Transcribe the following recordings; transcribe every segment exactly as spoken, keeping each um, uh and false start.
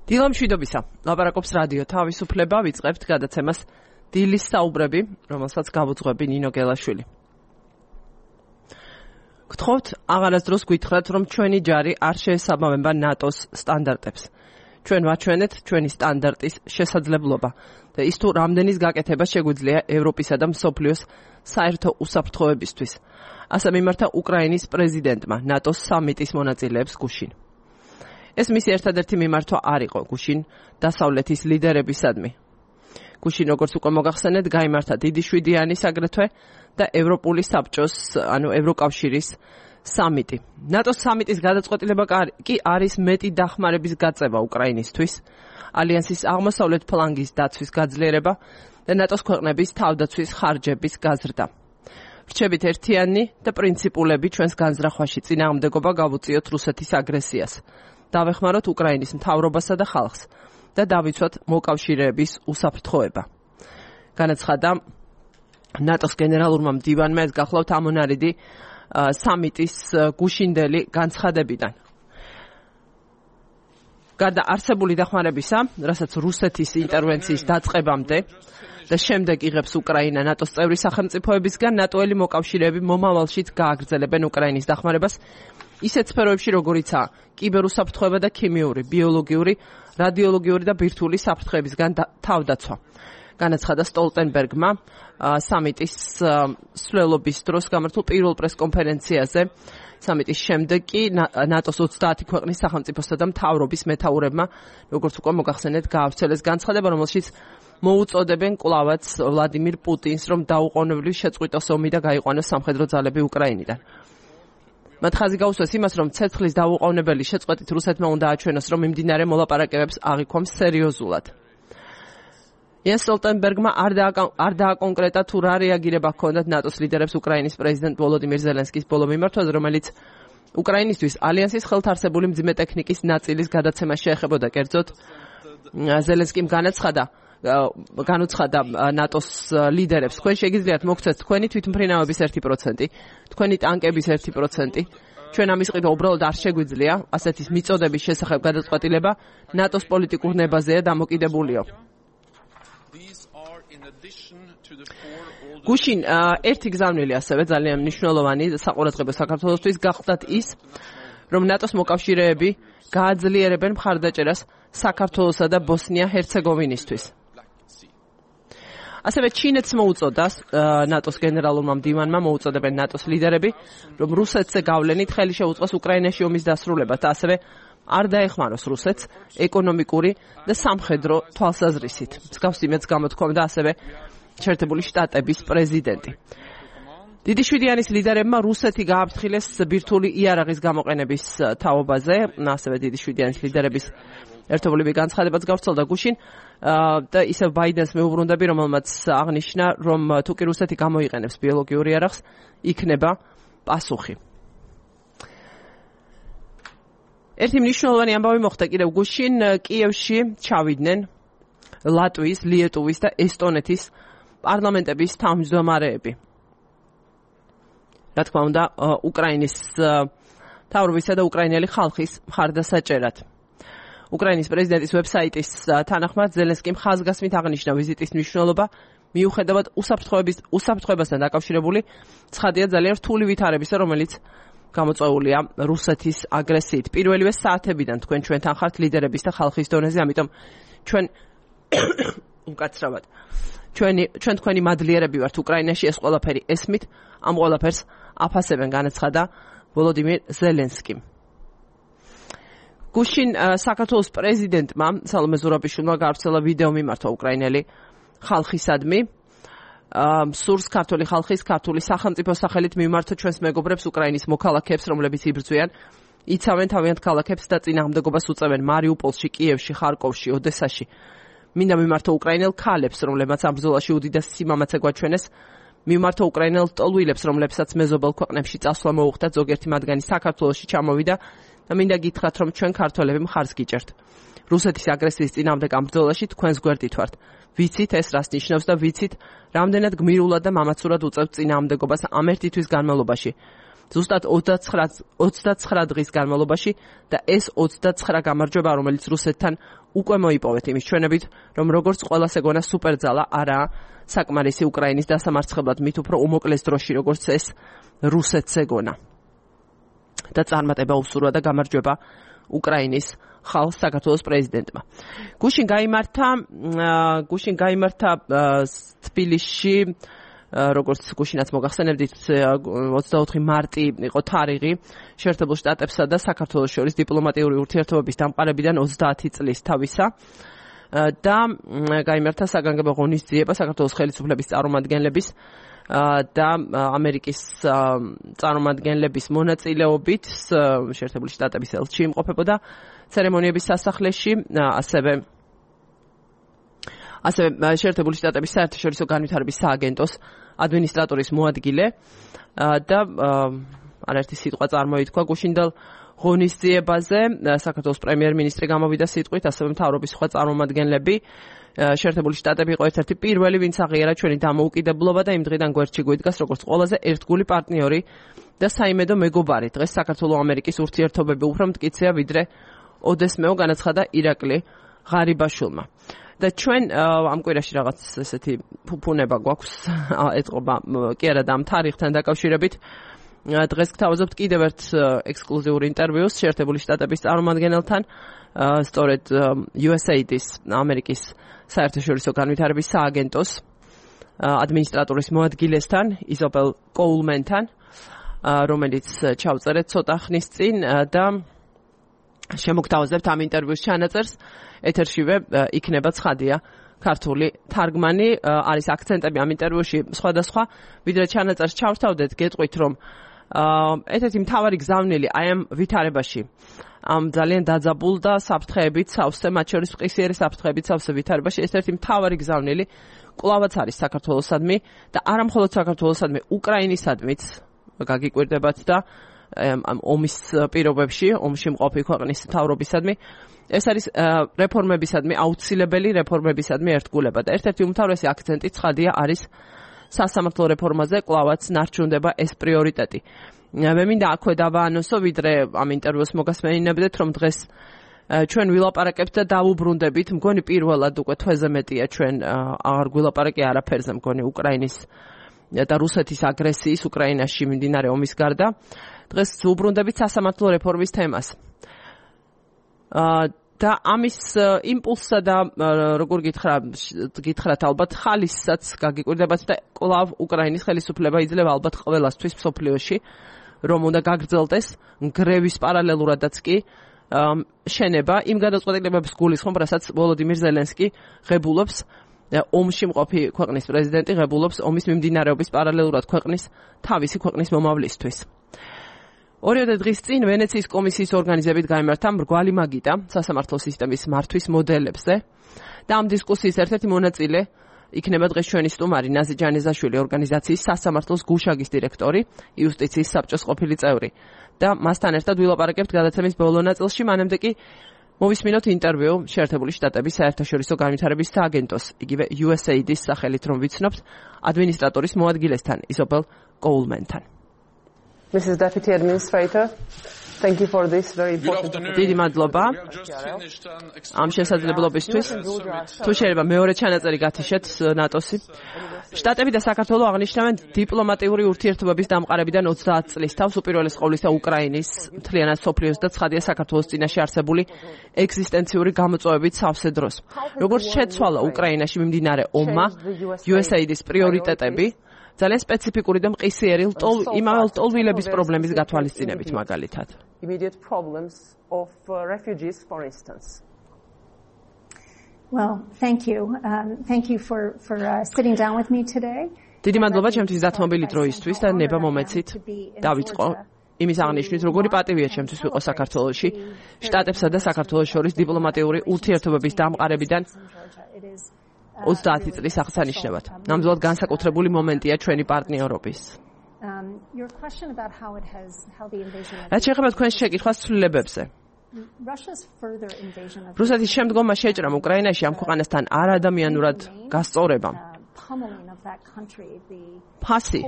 დილამშვიდობისა. ლაპარაკობს რადიო თავისუფლება, ვიწყებთ გადაცემას დილის საუბრები, რომელსაც გავუძღვები ნინო გელაშვილი. გთხოვთ, აღარასდროს გითხრათ, რომ ჩვენი ჯარი არ შეესაბამება ნატოს სტანდარტებს. ჩვენ ვაჩვენეთ ჩვენი სტანდარტის შესაძლებლობა და ის თუ რამდენის გაკეთება შეგვიძლია ევროპისა და მსოფლიოს საერთო უსაფრთხოებისთვის. ასე მიმართა უკრაინის პრეზიდენტმა ნატოს სამიტის მონაწილეებს გუშინ. ეს მისი ერთადერთი მიმართვა არ იყო გუშინ დასავლეთის ლიდერებისადმი. გუშინ, როგორც უკვე მოგახსენეთ, გაიმართა დიდი შვიდიანის აგრეთვე და ევროპული საბჭოს, ანუ ევროკავშირის სამიტი. ნატოს სამიტის გადაწყვეტილება კი არის მეტი დახმარების გაწევა უკრაინისთვის, ალიანსის აღმოსავლეთ ფლანგის დაცვის გაძლიერება და ნატოს ქვეყნების თავდაცვის ხარჯების გაზრდა. ვრჩებით ერთიანი და პრინციპულები ჩვენს განზრახვაში წინააღმდეგობა გავუწიოთ რუსეთის აგრესიას. დავეხმაროთ უკრაინის მთავრობასა და ხალხს და დავიცვათ მოკავშირეების უსაფრთხოება. განაცხადა ნატოს გენერალურმა მდივანმა, ეს გახლავთ ამონარიდი სამიტის გუშინდელი განცხადებიდან. გარდა არსებული დახმარებისა, რასაც რუსეთის ინტერვენციის დაწყებამდე და შემდეგ იღებს უკრაინა ნატოს წევრი სახელმწიფოებისგან, ნატოელი მოკავშირეები მომავალშიც გააგრძელებენ უკრაინის დახმარებას ისეთ სფეროებში, როგორიცაა კიბერუსაფრთხოება და ქიმიური, ბიოლოგიური, რადიოლოგიური და ბირთვული საფრთხეებისგან თავდაცვა. განაცხადა სტოლტენბერგმა სამიტის მსვლელობის დროს გამართულ პირველ პრესკონფერენციაზე. სამიტის შემდეგ კი ნატოს ოცდაათი ქვეყნის სახელმწიფოსა და მთავრობის მეთაურებმა, როგორც უკვე მოგახსენეთ, გაავრცელეს განცხადება, რომელშიც მოუწოდებენ კვლავაც ვლადიმირ პუტინს, რომ დაუყოვნებლივ შეწყვიტოს ომი და გაიყვანოს სამხედრო ძალები უკრაინიდან. მათ ხაზი გაუსვეს იმას, რომ ცეცხლის დაუყოვნებელი შეწყვეტით რუსეთმა უნდა აჩვენოს, რომ მიმდინარე მოლაპარაკებებს აღიქვამს სერიოზულად. იენს სტოლტენბერგმა არ დააკონკრეტა თუ რა რეაგირება ჰქონდათ ნატოს ლიდერებს უკრაინის პრეზიდენტ ვოლოდიმირ ზელენსკის ბოლო მიმართვაზე, რომელიც უკრაინისთვის ალიანსის ხელთარსებული მძიმე ტექნიკის ნაწილის გადაცემას შეეხებოდა. კერძოდ, ზელენსკიმ განაცხადა განუცხადა ნატოს ლიდერებს, თქვენ შეგიძლიათ მოგცეთ თქვენი თვითმფრინავების ერთი პროცენტი, თქვენი ტანკების ერთი პროცენტი. ჩვენ ამის ყიდვა უბრალოდ არ შეგვიძლია, ასეთის მიწოდების შესახებ გადაწყვეტილება ნატოს პოლიტიკურ ნებაზეა დამოკიდებულიო. გუშინ ერთი გზავნილი ასევე ძალიან მნიშვნელოვანი საყურადღებო საქართველოსთვის გახდათ ის, რომ ნატოს მოკავშირეები გააძლიერებენ მხარდაჭერას საქართველოსა და ბოსნია-ჰერცეგოვინისთვის. ასევე ჩინეთს მოუწოდა ნატოს გენერალურმა მდივანმა მოუწოდებენ ნატოს ლიდერები, რომ რუსეთზე გავლენით ხელი შეუწყოს უკრაინაში ომის დასრულებას და ასევე არ დაეხმაროს რუსეთს ეკონომიკური და სამხედრო თვალსაზრისით. მსგავს იმედს გამოთქვამდა ასევე შეერთებული შტატების პრეზიდენტი. დიდი შვიდიანის ლიდერებმა რუსეთი გააფრთხილეს ბირთვული იარაღის გამოყენების თაობაზე, ასევე დიდი შვიდიანის ლიდერების ერთობლივი განცხადებაც გავრცელდა გუშინ და ისევ ბაიდენს მეუბრუნდები, რომელმაც აღნიშნა, რომ თუ კი რუსეთი გამოიყენებს ბიოლოგიურ იარაღს, იქნება პასუხი. ერთი მნიშვნელოვანი ამბავი მოხდა კიდევ გუშინ, კიევში ჩავიდნენ ლატვიის, ლიეტუვის და ესტონეთის პარლამენტების თავმჯდომარეები. რა თქმა უნდა, უკრაინის მთავრობისა და უკრაინელი ხალხის მხარდასაჭერად. უკრაინის პრეზიდენტის ვებსაიტის თანახმად ზელენსკიმ ხაზგასმით აღნიშნა ვიზიტის მნიშვნელობა, მიუხედავად უსაფრთხოებასთან დაკავშირებული ცხადია ძალიან რთული ვითარებისა, რომელიც გამოწვეულია რუსეთის აგრესიით. პირველივე საათებიდან თქვენ ჩვენთან ხართ ლიდერების და ხალხის დონეზე, ამიტომ ჩვენ უკაცრავად ჩვენი ჩვენ თქვენი მადლიერები ვართ უკრაინაში, ეს ყველაფერი ესმით, ამ ყველაფერს აფასებენ, განაცხადა ვოლოდიმირ ზელენსკიმ. გუშინ საქართველოს პრეზიდენტმა სალომე ზურაბიშვილმა გაავრცელა ვიდეო მიმართვა უკრაინელი ხალხისადმი. სურს ქართული ხალხის, ქართული სახელმწიფოს სახელით მიმართოთ ჩვენს მეგობრებს უკრაინის მოქალაქეებს, რომლებიც იბრძვიან, იცავენ თავიანთ ქალაქებს და წინააღმდეგობას უწევენ მარიუპოლში, კიევში, ხარკოვში, ოდესაში. მინდა მიმართო უკრაინელ ქალებს, რომლებმაც ამ ბრძოლაში უდიდესი სიმამაცე გვაჩვენეს, მიმართო უკრაინელ ტოლვილებს, რომლებსაც მეზობელ ქვეყნებში წასვლა მოუხდათ, ზოგიერთი მათგანი საქართველოში ჩამოვიდა და მინდა გითხრათ, რომ ჩვენ ქართველები მხარს გიჭერთ. რუსეთის აგრესიის წინააღმდეგ ამ ბრძოლაში თქვენს გვერდით ვართ. ვიცით ეს რას ნიშნავს და ვიცით, რამდენად გმირულად და მამაცურად უწევთ წინააღმდეგობას ამ ერთი თვის განმავლობაში. ზუსტად ოცდაცხრა დღის განმავლობაში და ეს ოცდაცხრა გამარჯვება, რომელიც რუსეთთან უკვე მოიპოვეთ იმის ჩვენებით, რომ როგორც ყველას ეგონა სუპერძალა არაა საკმარისი უკრაინის დასამარცხებლად, მით უფრო უმოკლეს დროში, როგორც ეს რუსეთს ეგონა. და წარმატება უსურვა და გამარჯვება უკრაინის ხალხს საქართველოს პრეზიდენტმა. გუშინ გაიმართა გუშინ გაიმართა თბილისში, როგორც გუშინაც მოგახსენებდით, ოცდაოთხი მარტი იყო თარიღი შეერთებულ შტატებსა და საქართველოს შორის დიპლომატიური ურთიერთობების დამყარებიდან ოცდაათი წლის თავისა და გაიმართა საგანგებო ღონისძიება საქართველოს ხელისუფლების წარმომადგენლების და ამერიკის წარმომადგენლების მონაწილეობით შეერთებული შტატების ელჩი იმყოფებოდა ცერემონიების სასახლეში, ასევე ასევე შეერთებული შტატების საერთაშორისო განვითარების სააგენტოს ადმინისტრატორის მოადგილე და არაერთი სიტყვა წარმოითქვა გუშინდელ ღონისძიებაზე. საქართველოს პრემიერ-მინისტრი გამოვიდა სიტყვით, ასევე მთავრობის სხვა წარმომადგენლები. შეერთებული შტატები იყო ერთ-ერთი პირველი, ვინც აღიარა ჩვენი დამოუკიდებლობა და იმ დღიდან გვერდში გვიდგას როგორც ყველაზე ერთგული პარტნიორი და საიმედო მეგობარი. დღეს საქართველო-ამერიკის ურთიერთობები უფრო მტკიცეა, ვიდრე ოდესმეო, განაცხადა ირაკლი ღარიბაშვილმა. და ჩვენ ამ კვირაში რაღაც ესეთი ფუფუნება გვაქვს ეთყობა კი არა და ამ თარიღთან დაკავშირებით. დღეს გთავაზობთ კიდევ ერთ ექსკლუზიურ ინტერვიუს შეერთებული შტატების წარმომადგენელთან, სწორედ იუ ეს έი დის ამერიკის საერთაშორისო განვითარების სააგენტოს ადმინისტრატორის მოადგილესთან, იზაბელ კოულმენთან, რომელიც ჩავწერეთ ცოტა ხნის წინ და შემოგთავაზებთ ამ ინტერვიუს ჩანაწერს. ეთერშივე იქნება ცხადია ქართული თარგმანი, არის აქცენტები ამ ინტერვიუში სხვადასხვა, ვიდრე ჩანაწერს ჩავთავდეთ, გეტყვით, რომ ერთ-ერთი მთავარი გზავნილი აი ამ ვითარებაში, ამ ძალიან დაძაბულ და საფრთხეებით სავსე, მათ შორის მყისიერი საფრთხეებით სავსე ვითარებაში, ერთ-ერთი მთავარი გზავნილი კვლავაც არის საქართველოსადმი და არა მხოლოდ საქართველოსადმი, უკრაინისადმიც გაგიკვირდებათ და ამ ომის პირობებში, ომში მყოფი ქვეყნის მთავრობისადმი, ეს არის რეფორმებისადმი, აუცილებელი რეფორმებისადმი ერთგულება და ერთ-ერთი უმთავრესი აქცენტი ცხადია არის სასამართლო რეფორმაზე, კვლავაც ნარჩუნდება ეს პრიორიტეტი. მე მინდა აქვე დავაანონსო, ვიდრე ამ ინტერვიუს მოგასმენინებდეთ, რომ დღეს ჩვენ ვილაპარაკებთ და დავუბრუნდებით, მგონი პირველად უკვე თვეზე მეტია ჩვენ აღარ გვილაპარაკი არაფერზე, მგონი უკრაინის და რუსეთის აგრესიის უკრაინაში მიმდინარე ომის გარდა. დღეს ვუბრუნდებით სასამართლო რეფორმის თემას. და ამის იმპულსსა და როგორ გითხრა, გითხრათ ალბათ ხალისაც გაგიკვირდებათ და კვლავ უკრაინის ხელისუფლება იძლევა ალბათ ყველასთვის მსოფლიოში, რომ უნდა გაგრძელდეს გრევის პარალელურადაც კი შენება იმ გადაწყვეტილებების გულისხმობ, რასაც ვოლოდიმირ ზელენსკი ღებულობს, ომში მყოფი ქვეყნის პრეზიდენტი ღებულობს ომის მიმდინარეობის პარალელურად ქვეყნის თავისი ქვეყნის მომავლისთვის. ორიოდე დღის წინ ვენეციის კომისიის ორგანიზებით გაიმართა მრგვალი მაგიდა სასამართლო სისტემის მართვის მოდელებზე და ამ დისკუსიის ერთ-ერთი მონაწილე იქნება დღეს ჩვენი სტუმარი ნაზი ჯანეზაშვილი, ორგანიზაციის სასამართლოს გუშაგის დირექტორი, იუსტიციის საბჭოს ყოფილი წევრი და მასთან ერთად ვილაპარაკებთ გადაცემის ბოლო ნაწილში, მანამდე კი მოვისმინოთ ინტერვიუ შეერთებული შტატების საერთაშორისო განვითარების სააგენტოს, იგივე იუ ეს έი დის სახელით, რომ ვიცნობთ ადმინისტრატორის მოადგილესთან, იზაბელ კოულმენთან. Missus Deputy Administrator, thank you for this very important. დიდი მადლობა ამ შესაძლებლობისთვის. თუ შეიძლება მეორე ჩანაწერი გათიშეთ ნატოსი. შტატები და საქართველო აღნიშნავენ დიპლომატიური ურთიერთობების დამყარებიდან ოცდაათ წლის თავს უპირველეს ყოვლისა უკრაინის, მთლიანად სოფლიოს და ცხადია საქართველოს წინაშე არსებული ეგზისტენციური გამოწვევებით სავსე დროს. როგორც შეცვალა უკრაინაში მიმდინარე ომმა, იუ ეს έი დის პრიორიტეტები ძალიან სპეციფიკური და მყისიერი იმავე ლტოლვილების პრობლემის გათვალისწინებით მაგალითად. Immediate problems of uh, refugees, for instance. Well, thank you. Um, thank you for for uh, sitting down with me today. დიდი მადლობა ჩემთვის დათმობილი დროისთვის და ნება მომეცით დავიწყო იმის აღნიშვნით, როგორი პატივია ჩემთვის ვიყო საქართველოში, შტატებსა და საქართველოს შორის დიპლომატიური ურთიერთობების დამყარებიდან ოცდაათი წლის აღსანიშნავად. ნამდვილად განსაკუთრებული მომენტია ჩვენი პარტნიორობის. რაც შეეხება თქვენს შეკითხვას ცვლილებებზე. რუსეთის შემდგომმა შეჭრამ უკრაინაში ამ ქვეყანასთან არადამიანურად გასწორებამ ფასი,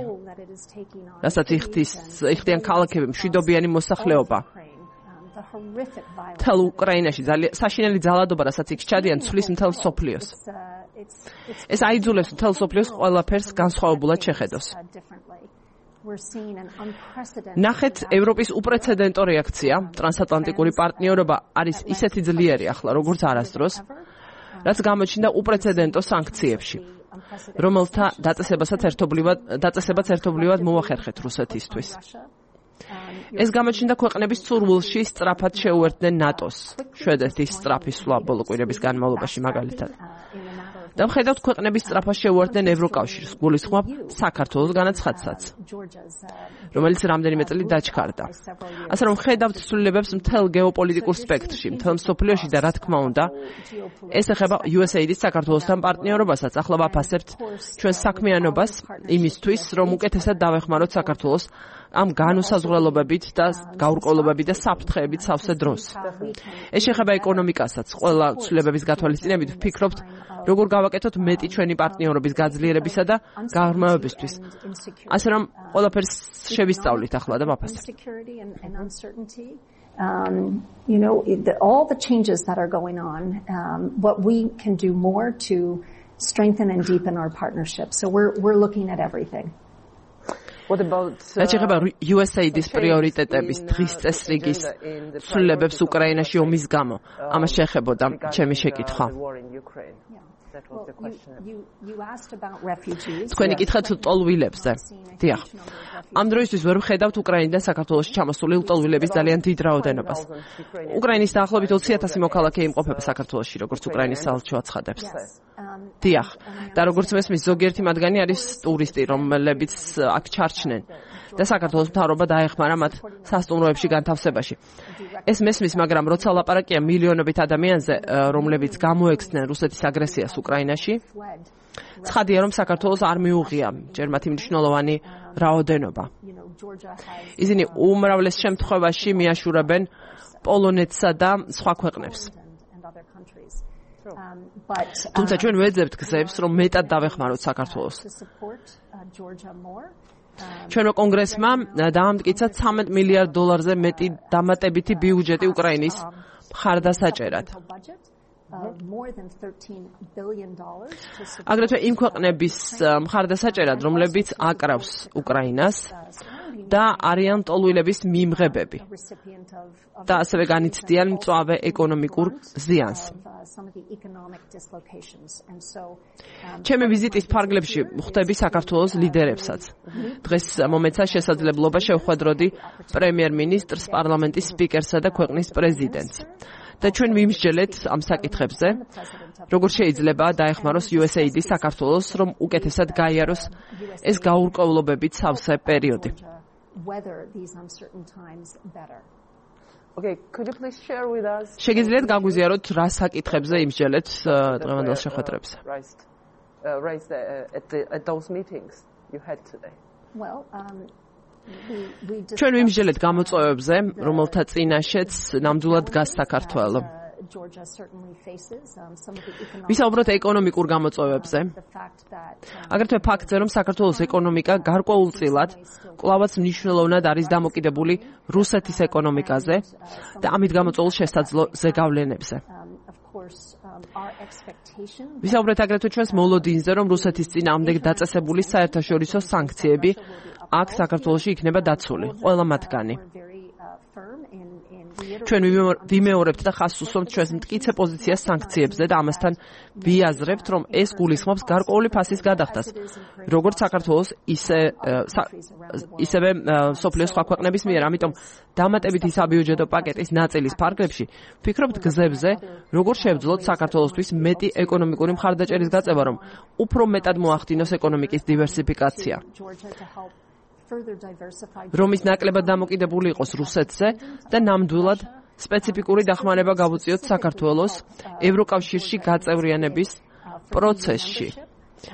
რასაც იხდის იხდიან ქალაქები, მშვიდობიანი მოსახლეობა. მთელ უკრაინაში ძალიან საშინელი ძალადობა, რასაც იქ ჩადიან, ცვლის მთელ მსოფლიოს. ეს აიძულებს მთელ მსოფლიოს ყველაფერს განსხვავებულად შეხედოს. ნახეთ ევროპის უპრეცედენტო რეაქცია, ტრანსატლანტიკური პარტნიორობა არის ისეთი ძლიერი ახლა, როგორც არასდროს, რაც გამოჩნდა უპრეცედენტო სანქციებში, რომელთა დაწესებასაც ერთობლივად დაწესებაც ერთობლივად მოახერხეთ რუსეთისთვის. ეს გამოჩნდა ქვეყნების ცურვილში სწრაფად შეუერთდნენ ნატოს, შვედეთის სწრაფი სვლა ბოლო კვირების განმავლობაში მაგალითად. და ვხედავთ ქვეყნების სწრაფად შეუერთდნენ ევროკავშირს, გულისხმობ საქართველოს განაცხადსაც, რომელიც რამდენიმე წელი დაჩქარდა. ასე რომ ვხედავთ ცვლილებებს მთელ გეოპოლიტიკურ სპექტრში, მთელ მსოფლიოში და რა თქმა უნდა, ეს ეხება იუ ეს ეიდის საქართველოსთან პარტნიორობასაც. ახლა ვაფასებთ ჩვენს საქმიანობას იმისთვის, რომ უკეთესად დავეხმაროთ საქართველოს ამ განუსაზღვრელობებით და გაურკვევლობებით და საფრთხეებით სავსე დროს. ეს შეეხება ეკონომიკასაც. ყველა ცვლილებების გათვალისწინებით ვფიქრობთ, როგორ გავაკეთოთ მეტი ჩვენი პარტნიორობის გაძლიერებისა და გაღრმავებისთვის. ასე რომ ყველაფერს შევისწავლით ახლა და ვაფასებთ. Um, you know, the, all the changes that are going on, um, what we can do more to strengthen and deepen our partnership. So we're we're looking at everything. What about რაც ეხება იუ ეს ეიდის პრიორიტეტების დღის წესრიგის ცვლილებებს უკრაინაში ომის გამო, ამას შეეხებოდა ჩემი შეკითხვა. Well, you, you, you asked about refugees. თქვენი კითხეთ ლტოლვილებზე. დიახ. ამ დროისთვის ვერ ვხედავთ უკრაინიდან საქართველოში ჩამოსული ლტოლვილების ძალიან დიდ რაოდენობას. უკრაინის დაახლოებით ოცი ათასი მოქალაქე იმყოფება საქართველოში, როგორც უკრაინის საელჩო აცხადებს. დიახ. და როგორც მესმის, ზოგიერთი მათგანი არის ტურისტი, რომლებიც აქ ჩარჩნენ. და საქართველოს მთავრობა დაეხმარა მათ სასტუმროებში განთავსებაში. ეს მესმის, მაგრამ როცა ლაპარაკია მილიონობით ადამიანზე, რომლებიც გამოექცნენ რუსეთის აგრესიას უკრაინაში, ცხადია, რომ საქართველოს არ მიუღია ჯერ მათი მნიშვნელოვანი რაოდენობა. ისინი უმრავლეს შემთხვევაში მიაშურებენ პოლონეთსა და სხვა ქვეყნებს. თუმცა ჩვენ ვეძებთ გზებს, რომ მეტად დავეხმაროთ საქართველოს. ჩვენო კონგრესმა დაამტკიცა ცამეტ მილიარდ დოლარზე მეტი დამატებითი ბიუჯეტი უკრაინის მხარდასაჭერად. აგრეთვე იმ ქვეყნების მხარდასაჭერად, რომლებიც აკრავს უკრაინას და არიან ლტოლვილების მიმღებები და ასევე განიცდიან მწვავე ეკონომიკურ ზიანს. ჩემი ვიზიტის ფარგლებში ვხვდები საქართველოს ლიდერებსაც. დღეს მომეცა შესაძლებლობა შევხვედროდი პრემიერ-მინისტრს, პარლამენტის სპიკერსა და ქვეყნის პრეზიდენტს. და ჩვენ ვიმსჯელეთ ამ საკითხებზე, როგორ შეიძლება დაეხმაროს იუ ეს ეიდი საქართველოს, რომ უკეთესად გაიაროს ეს გაურკვევლობებით სავსე პერიოდი. Okay, could you please share with us? შეგიძლიათ გაგვიზიაროთ რა საკითხებზე იმსჯელეთ დღევანდელ შეხვედრებზე? Raised at the at those meetings you had today. Well, um ჩვენ ვიმსჯელეთ გამოწვევებზე, რომელთა წინაშეც ნამდვილად დგას საქართველო. ვისაუბროთ ეკონომიკურ გამოწვევებზე. აგრეთვე ფაქტზე, რომ საქართველოს ეკონომიკა გარკვეულწილად კვლავაც მნიშვნელოვნად არის დამოკიდებული რუსეთის ეკონომიკაზე და ამით გამოწვეულ შესაძლო ზეგავლენებზე. ვისაუბრეთ აგრეთვე ჩვენს მოლოდინზე, რომ რუსეთის წინააღმდეგ დაწესებული საერთაშორისო სანქციები აქ საქართველოში იქნება დაცული, ყველა მათგანი. ჩვენ ვიმეორებთ და ხაზს უსვამთ ჩვენს მტკიცე პოზიციას სანქციებზე და ამასთან ვიაზრებთ, რომ ეს გულისხმობს გარკვეული ფასის გადახდას, როგორც საქართველოს, ისე ისევე მსოფლიოს სხვა ქვეყნების მიერ. ამიტომ დამატებითი საბიუჯეტო პაკეტის ნაწილის ფარგლებში ვფიქრობთ გზებზე, როგორ შევძლოთ საქართველოსთვის მეტი ეკონომიკური მხარდაჭერის გაწევა, რომ უფრო მეტად მოახდინოს ეკონომიკის დივერსიფიკაცია. რომის ნაკლებად დამოკიდებული იყოს რუსეთზე და ნამდვილად სპეციფიკური დახმარება გავუწიოთ საქართველოს ევროკავშირში გაწევრიანების პროცესში,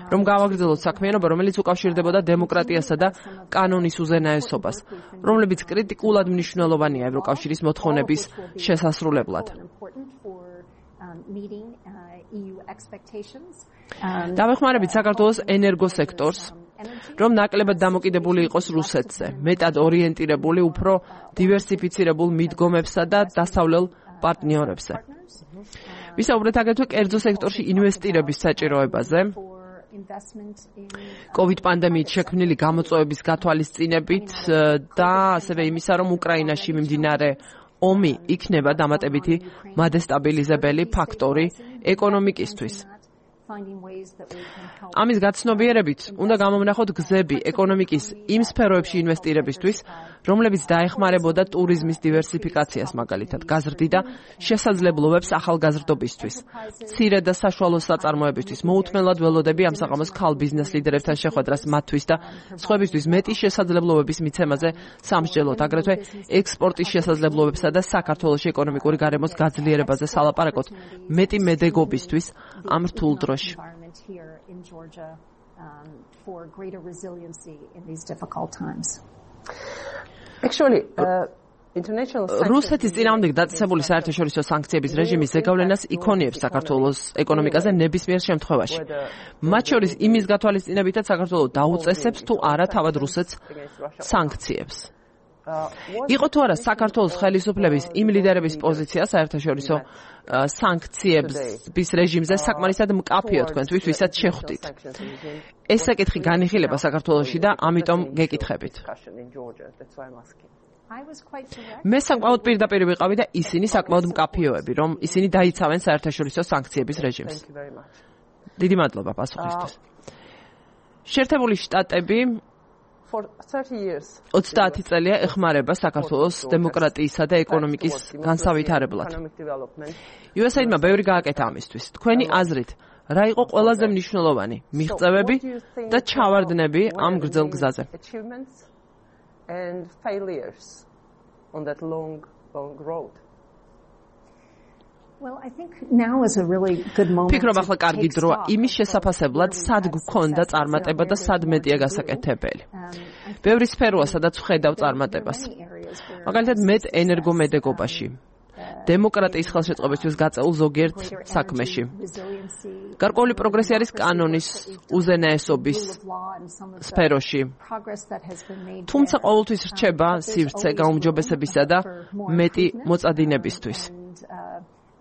რომ გავაგრძელოთ საქმიანობა, რომელიც უკავშირდებოდა დემოკრატიასა და კანონის უზენაესობას, რომლებიც კრიტიკულად მნიშვნელოვანია ევროკავშირის მოთხოვნების შესასრულებლად. დავეხმარებით საქართველოს ენერგოსექტორს, რომ ნაკლებად დამოკიდებული იყოს რუსეთზე, მეტად ორიენტირებული უფრო დივერსიფიცირებულ მიდგომებსა და დასავლელ პარტნიორებზე. ვისაუბრეთ აგრეთვე კერძო სექტორში ინვესტირების საჭიროებაზე, COVID პანდემიით შექმნილი გამოწვევების გათვალისწინებით და ასევე იმისა, რომ უკრაინაში მიმდინარე ომი იქნება დამატებითი მადესტაბილიზებელი ფაქტორი ეკონომიკისთვის. ამის გაცნობიერებით უნდა გამოვნახოთ გზები ეკონომიკის იმ სფეროებში ინვესტირებისთვის, რომლებიც დაეხმარებოდა ტურიზმის დივერსიფიკაციას, მაგალითად, გაზრდიდა შესაძლებლობებს ახალგაზრდობისთვის, მცირე და საშუალო საწარმოებისთვის. მოუთმენლად ველოდები ამ საღამოს ქალ ბიზნეს ლიდერებთან შეხვედრას მათთვის და სხვებისთვის მეტი შესაძლებლობების მიცემაზე სამსჯელოთ, აგრეთვე ექსპორტის შესაძლებლობებსა და საქართველოს ეკონომიკური გარემოს გაძლიერებაზე სალაპარაკოთ, მეტი მედეგობისთვის ამ რთულ დროში. environment here in Georgia um, for greater resiliency in these difficult times. Actually, uh, international რუსეთის წინააღმდეგ დაწესებული საერთაშორისო სანქციების რეჟიმის ზეგავლენას იქონიებს საქართველოს ეკონომიკაზე ნებისმიერ შემთხვევაში. მათ შორის იმის გათვალისწინებითაც საქართველოს დაუწესებს თუ არა თავად რუსეთს სანქციებს. იყო თუ არა საქართველოს ხელისუფლების იმ ლიდერების პოზიცია საერთაშორისო სანქციების რეჟიმზე საკმარისად მკაფიო თქვენთვის, ვისაც შეხვდით. ეს საკითხი განიხილება საქართველოში და ამიტომ გეკითხებით. მე საკმაოდ პირდაპირ ვიყავი და ისინი საკმაოდ მკაფიოები, რომ ისინი დაიცავენ საერთაშორისო სანქციების რეჟიმს. დიდი მადლობა პასუხისთვის. შეერთებული შტატები ოცდაათი წელია ეხმარება საქართველოს დემოკრატიისა და ეკონომიკის განსავითარებლად. იუ ეს ეიდმა ბევრი გააკეთა ამისთვის. თქვენი აზრით, რა იყო ყველაზე მნიშვნელოვანი მიღწევები და ჩავარდნები ამ გრძელ გზაზე? Well, I think now is a really good moment. ფიქრობ ახლა კარგი დროა იმის შესაფასებლად, სად გქონდა წარმატება და სად მეტია გასაკეთებელი. ბევრი სფეროა, სადაც ვხედავ წარმატებას. მაგალითად, მეტ ენერგომედეგობაში, დემოკრატიის ხელშეწყობისთვის გაწეულ ზოგიერთ საქმეში. გარკვეული პროგრესი არის კანონის უზენაესობის სფეროში. თუმცა ყოველთვის რჩება სივრცე გაუმჯობესებისა და მეტი მოწადინებისთვის.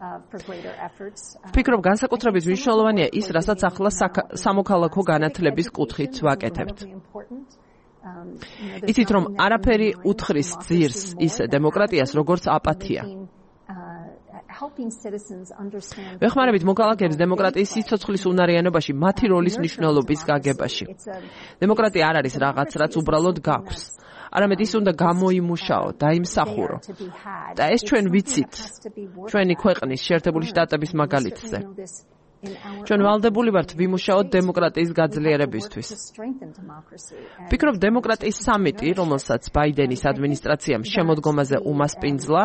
ვფიქრობ, განსაკუთრებით მნიშვნელოვანია ის, რასაც ახლა სამოქალაქო განათლების კუთხით ვაკეთებთ. იცით, რომ არაფერი უთხრის ძირს ისე დემოკრატიას, როგორც აპათია. ვეხმარებით მოქალაქეებს დემოკრატიის სიცოცხლის უნარიანობაში, მათი როლის მნიშვნელობის გაგებაში. დემოკრატია არ არის რაღაც, რაც უბრალოდ გაქვს. არამედ ის უნდა გამოიმუშაო, დაიმსახურო. და ეს ჩვენ ვიცით, ჩვენი ქვეყნის შეერთებული შტატების მაგალითზე. ჩვენ ვალდებული ვართ ვიმუშაოთ დემოკრატიის გაძლიერებისთვის. ვფიქრობ, დემოკრატიის სამიტი, რომელსაც ბაიდენის ადმინისტრაციამ შემოდგომაზე უმასპინძლა,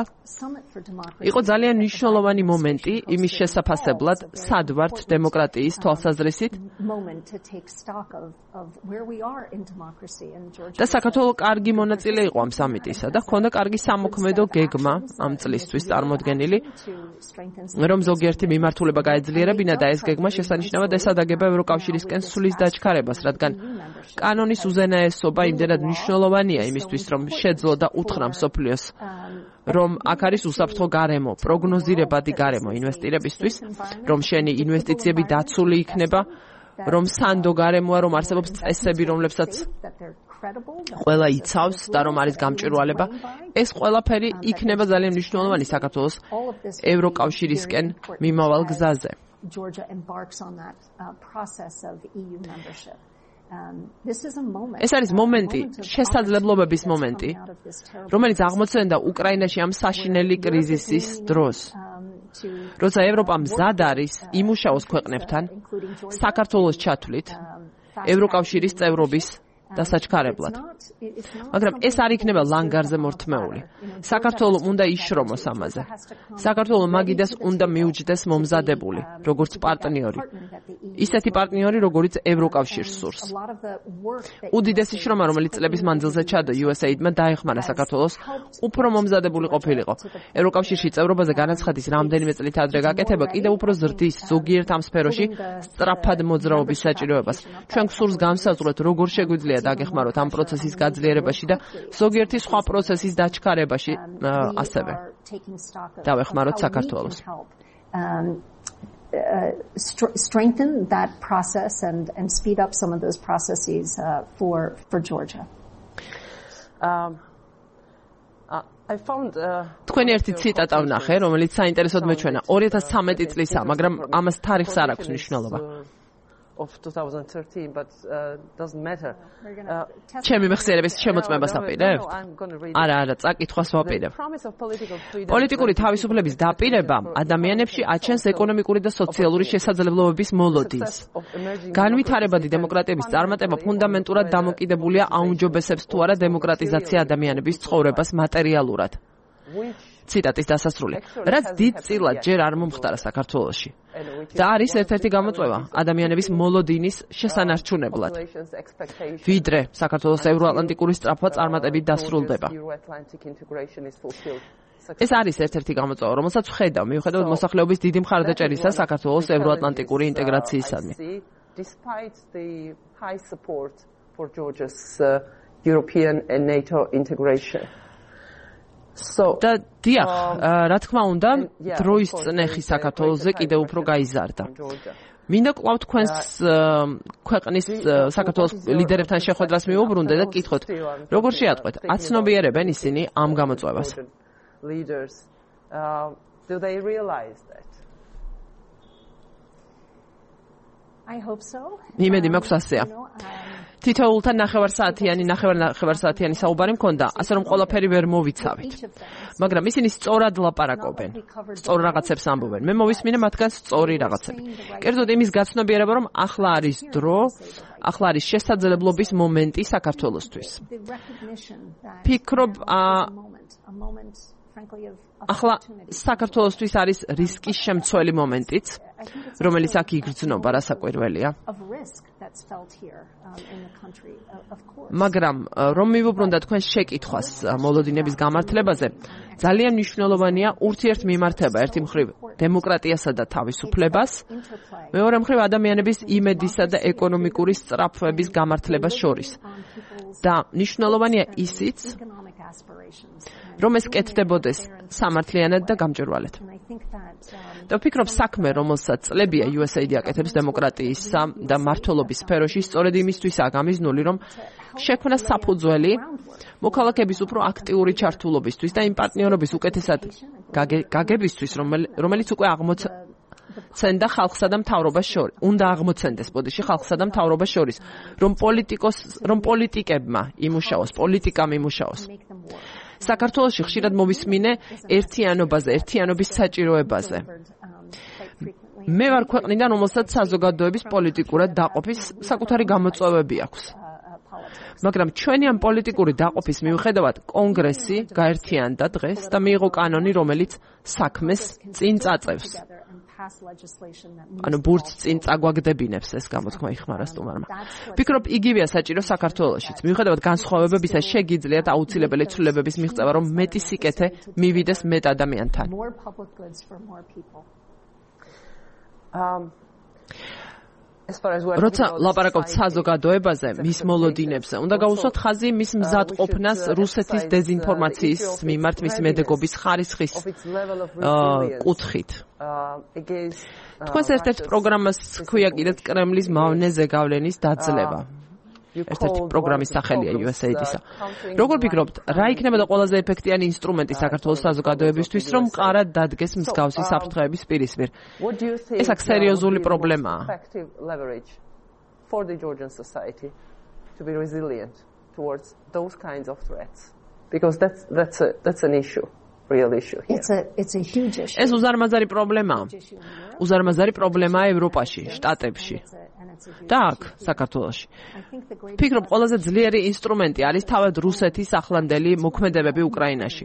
იყო ძალიან მნიშვნელოვანი მომენტი იმის შესაფასებლად, სად ვართ დემოკრატიის თვალსაზრისით და საქართველოს კარგი მონაწილე იყო ამ სამიტისა და ჰქონდა კარგი სამოქმედო გეგმა ამ წლისთვის წარმოდგენილი, რომ ზოგიერთი მიმართულება გაეძლიერებინა და ეს გეგმა შესანიშნავად ესადაგება ევროკავშირისკენ სulis დაჩქარებას, რადგან კანონის უზენაესობა იმდენად მნიშვნელოვანია იმისთვის, რომ შეძლო და უთხრა მსოფლიოს, რომ აქ არის უსაფრთხო გარემო, პროგნოზირებადი გარემო ინვესტირებისთვის, რომ შენი ინვესტიციები დაცული იქნება, რომ სანდო გარემოა, რომ არსებობს წესები, რომლებსაც ყველა იცავს და რომ არის გამჭვირვალება. ეს ყველაფერი იქნება ძალიან მნიშვნელოვანი საქართველოს ევროკავშირისკენ მიმავალ გზაზე. Georgia embarks on that uh, process of E U membership. Um, this is a moment. ეს არის მომენტი, შესაძლებლობების მომენტი, რომელიც აღმოცენდა უკრაინაში ამ საშინელი კრიზისის დროს. როცა ევროპა მზად არის იმუშაოს ქვეყნებთან, საქართველოს ჩათვლით, ევროკავშირის წევრობის და საჩქარებლად. მაგრამ ეს არ იქნება ლანგარზე მორთმეული. საქართველოს უნდა იშრომოს ამაზე. საქართველოს მაგიდას უნდა მიუჯდეს მომზადებული, როგორც პარტნიორი. ისეთი პარტნიორი, როგორც ევროკავშირს სურს. უდიდესი შრომა, რომელიც წლების მანძილზე ჩადო იუ ეს ეიდმა დაეხმარა საქართველოს უფრო მომზადებული ყოფილიყო. ევროკავშირში წევრობაზე განაცხადის რამდენიმე წლით ადრე გაკეთება კიდევ უფრო ზრდის ზოგიერთ ამ სფეროში სწრაფად მოძრაობის საჭიროებას. ჩვენ გსურს განსაზღვროთ, როგორ შეგვიძლია დაგეხმაროთ ამ პროცესის გაძლიერებაში და ზოგიერთი სხვა პროცესის დაჩქარებაში ასევე. დავეხმაროთ საქართველოს. Uh, st- strengthen that process and and speed up some of those processes uh, for for Georgia. Um, uh, I found თქვენი ერთი ციტატა ვნახე, რომელიც საინტერესოდ მეჩვენა. ორი ათას ცხრამეტი წლისა, მაგრამ ამას თარიღს არ აქვს მნიშვნელობა. of twenty thirteen but uh, doesn't matter. ჩემი მეხსიერების შემოწმებას აპირებთ? არა, არა, წაკითხვას ვაპირებ. პოლიტიკური თავისუფლების დაპირება ადამიანებში აჩენს ეკონომიკური და სოციალური შესაძლებლობების მოლოდინს. განვითარებადი დემოკრატიების წარმატება ფუნდამენტურად დამოკიდებულია აუმჯობესებს თუ არა დემოკრატიზაცია ადამიანების ცხოვრებას მატერიალურად. ციტატის დასასრული. რაც დიდწილად ჯერ არ მომხდარა საქართველოში. და არის ერთ-ერთი გამოწვევა ადამიანების მოლოდინის შესანარჩუნებლად. ვიდრე საქართველოს ევროატლანტიკური სწრაფვა წარმატებით დასრულდება. ეს არის ერთ-ერთი გამოწვევა, რომელსაც ვხედავ, მიუხედავად მოსახლეობის დიდი მხარდაჭერისა საქართველოს ევროატლანტიკური ინტეგრაციისადმი. Despite the high support for Georgia's uh, European and NATO integration. So და დიახ, რა თქმა უნდა, დროის წნეხი საქართველოსზე კიდევ უფრო გაიზარდა. მინდა კვლავ თქვენს ქვეყნის საქართველოს ლიდერებთან შეხვედრას მივუბრუნდე და გკითხოთ, როგორ შეატყვეთ, აცნობიერებენ ისინი ამ გამოწვევას? Leaders uh, do they realize that? I hope so. იმედი მაქვს ასეა. თითოეულთან ნახევარსაათიანი, ნახევარ-ნახევარსაათიანი საუბარი მქონდა, ასე რომ ყველაფერი ვერ მოვიცავით. მაგრამ ისინი სწორად ლაპარაკობენ, სწორ რაღაცებს ამბობენ. მე მოვისმინე მათგან სწორი რაღაცები. კერძოდ იმის გაცნობიერება, რომ ახლა არის დრო, ახლა არის შესაძლებლობის მომენტი საქართველოსთვის. ფიქრობ, ახლა საქართველოსთვის არის რისკის შემცველი მომენტიც, რომელიც აქ იგრძნობა, რასაკვირველია. მაგრამ რომ მივუბრუნდა თქვენ შეკითხვას მოლოდინების გამართლებაზე, ძალიან მნიშვნელოვანია ურთიერთმიმართება ერთი მხრივ დემოკრატიასა და თავისუფლებას, მეორე მხრივ ადამიანების იმედისა და ეკონომიკური სწრაფვების გამართლებას შორის. და მნიშვნელოვანია ისიც, რომ ეს კეთდებოდეს სამართლიანად და გამჭვირვალედ. და ვფიქრობ, საქმე, რომელსაც წლებია იუ ეს ეიდი აკეთებს დემოკრატიისა და მართლობის სფეროში, სწორედ იმისთვისაა გამიზნული, რომ შექმნა საფუძველი მოქალაქეების უფრო აქტიური ჩართულობისთვის და იმ პარტნიორობის უკეთესად გაგებისთვის, რომელიც უკვე აღმოცენდა ხალხსა და მთავრობას შორის. უნდა აღმოცენდეს ბოდიში ხალხსა და მთავრობას შორის, რომ პოლიტიკოს, რომ პოლიტიკებმა იმუშაოს, პოლიტიკამ იმუშაოს. საქართველოში ხშირად მოვისმინე ერთიანობაზე, ერთიანობის საჭიროებაზე. მე ვარ ქვეყნიდან, რომელსაც საზოგადოების პოლიტიკურად დაყოფის საკუთარი გამოწვევები აქვს. მაგრამ ჩვენი ამ პოლიტიკური დაყოფის მიუხედავად კონგრესი გაერთიანდა დღეს და მიიღო კანონი, რომელიც საქმეს წინ წაწევს. ანუ ბურთს წინ წაგვაგდებინებს, ეს გამოთქმა იხმარა სტუმარმა. ვფიქრობ, იგივეა საჭირო საქართველოშიც. მიუხედავად განსხვავებებისა, შეგიძლიათ აუცილებელი ცვლილებების მიღწევა, რომ მეტი სიკეთე მივიდეს მეტ ადამიანთან. როცა ლაპარაკობთ საზოგადოებაზე, მის მოლოდინებზე, უნდა გაუსვათ ხაზი მის მზადყოფნას რუსეთის დეზინფორმაციის მიმართ, მის მედეგობის ხარისხის კუთხით. თქვენს ერთ-ერთ პროგრამას ჰქვია კიდეც კრემლის მავნეზე გავლენის დაძლევა. ერთ-ერთი პროგრამის სახელია იუ ეს ეიდისა. როგორ ფიქრობთ, რა იქნება და ყველაზე ეფექტიანი ინსტრუმენტი საქართველოს საზოგადოებისთვის, რომ მყარად დადგეს მსგავსი საფრთხეების პირისპირ? ეს აქ სერიოზული პრობლემაა. For the Georgian society to be resilient towards those kinds of threats, because that's that's a, that's an issue. real issue here. It's a it's a huge issue. ეს უზარმაზარი პრობლემაა. უზარმაზარი პრობლემაა ევროპაში, შტატებში. და აქ, საქართველოში. ვფიქრობ, ყველაზე ძლიერი ინსტრუმენტი არის თავად რუსეთის ახლანდელი მოქმედებები უკრაინაში.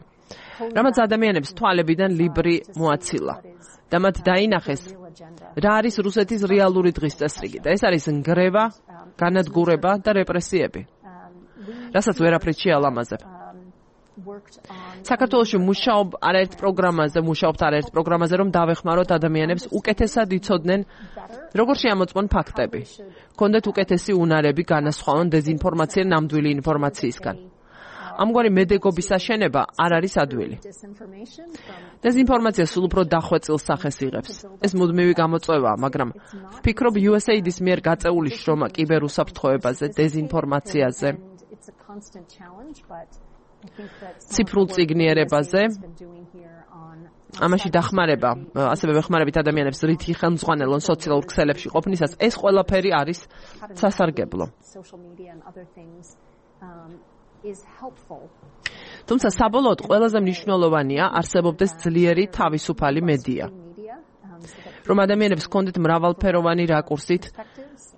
რამაც ადამიანებს თვალებიდან ლიბრი მოაცილა. და მათ დაინახეს, რა არის რუსეთის რეალური დღის წესრიგი. და ეს არის ნგრევა, განადგურება და რეპრესიები. რასაც ვერაფრით შეალამაზებ. საქართველოში მუშაობ არაერთ პროგრამაზე, მუშაობთ არაერთ პროგრამაზე, რომ დავეხმაროთ ადამიანებს უკეთესად იცოდნენ, როგორ შეამოწმონ ფაქტები. კონდეთ უკეთესი უნარები განასხვაონ დეზინფორმაცია ნამდვილი ინფორმაციისგან. ამგვარი მედეგობის აშენება არ არის ადვილი. დეზინფორმაცია სულ უფრო დახვეწილ სახეს იღებს. ეს მუდმივი გამოწვევაა, მაგრამ ვფიქრობ U S A I D-ის მიერ გაწეული შრომა კიბერუსაფრთხოებაზე, დეზინფორმაციაზე, ციფრულ წიგნიერებაზე, ამაში დახმარება, ასევე ვეხმარებით ადამიანებს რითი ხელმძღვანელონ სოციალურ ქსელებში ყოფნისას, ეს ყველაფერი არის სასარგებლო. თუმცა საბოლოოდ ყველაზე მნიშვნელოვანია არსებობდეს ძლიერი თავისუფალი მედია, რომ ადამიანებს ჰქონდეთ მრავალფეროვანი რაკურსით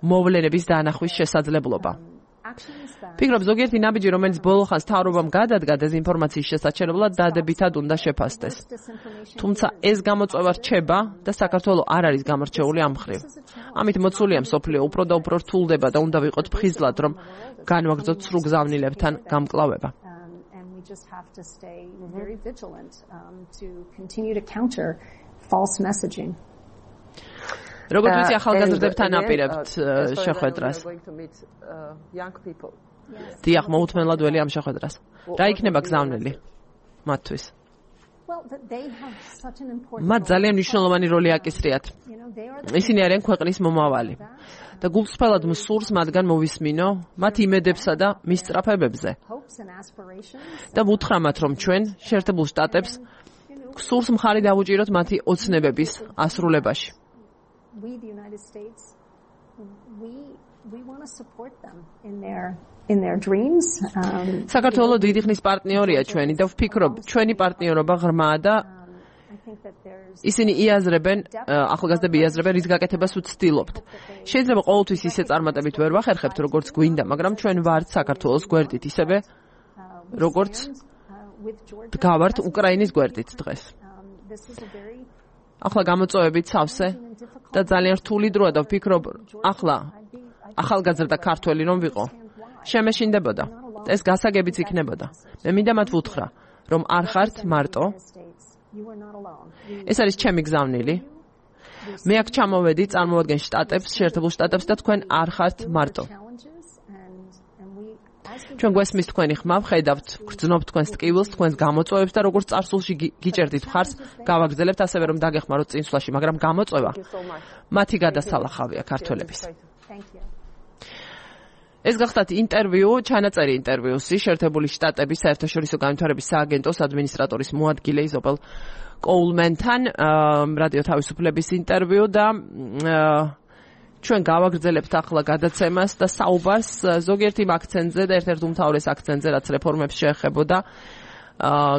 მოვლენების დაანახვის შესაძლებლობა. ვფიქრობ, ზოგიერთი ნაბიჯი, რომელიც ბოლო ხანს მთავრობამ გადადგა დეზინფორმაციის შესაჩერებლად, დადებითად უნდა შეფასდეს. თუმცა ეს გამოწვევა რჩება და საქართველოს არ არის გამორჩეული ამ მხრივ. ამით მოცულია მსოფლიო უფრო და უფრო რთულდება და უნდა ვიყოთ ფხიზლად, რომ განვაგრძოთ სრულ გზავნილებთან გამკლავება. just have to stay very vigilant um, to continue to counter false messaging. როგორც ვიცი, ახალგაზრდებთან აპირებთ შეხვედრას. დიახ, მოუთმენლად ველი ამ შეხვედრას. რა იქნება გზავნილი მათთვის? მათ ძალიან მნიშვნელოვანი როლი აკისრიათ. ისინი არიან ქვეყნის მომავალი. და გულწრფელად მსურს მათგან მოვისმინო მათ იმედებსა და მისწრაფებებზე. და ვუთხრამათ, რომ ჩვენ შეერთებულ შტატებს გსურს მხარი დავუჭიროთ მათი ოცნებების ასრულებაში. We the United States we we want to support them in their in their dreams. Um საქართველოს დიდი ხნის პარტნიორია ჩვენი და ვფიქრობ, ჩვენი პარტნიორობა ღრმაა და ისინი იაზრებენ, ახალგაზრდები იაზრებენ, რის გაკეთებას ვცდილობთ. შეიძლება ყოველთვის ისე წარმატებით ვერ ვახერხებთ, როგორც გვინდა, მაგრამ ჩვენ ვართ საქართველოს გვერდით, ისევე როგორც დგავართ უკრაინის გვერდით დღეს. ახლა გამოწვევებით სავსე და ძალიან რთული დროა და ვფიქრობ, ახლა ახალგაზრდა ქართველი რომ ვიყო, შემეშინდებოდა. ეს გასაგებიც იქნებოდა. მე მინდა მათ ვუთხრა, რომ არ ხართ მარტო. ეს არის ჩემი გზავნილი. მე აქ ჩამოვედი, წარმოვადგენ შტატებს, შეერთებულ შტატებს და თქვენ არ ხართ მარტო. ჩვენ გვესმის თქვენი ხმა, ვხედავთ, გრძნობთ თქვენს ტკივილს, თქვენს გამოწვევებს და როგორც წარსულში გიჭერდით მხარს, გავაგრძელებთ ასევე რომ დაგეხმაროთ წინსვლაში, მაგრამ გამოწვევა მათი გადასალახავია ქართველების. ეს გახდათ ინტერვიუ, ჩანაწერი ინტერვიუსი შეერთებული შტატების საერთაშორისო განვითარების სააგენტოს ადმინისტრატორის მოადგილე იზაბელ კოულმენთან, რადიო თავისუფლების ინტერვიუ და ჩვენ გავაგრძელებთ ახლა გადაცემას და საუბარს ზოგიერთ იმ აქცენტზე და ერთ-ერთ უმთავრეს აქცენტზე, რაც რეფორმებს შეეხებოდა,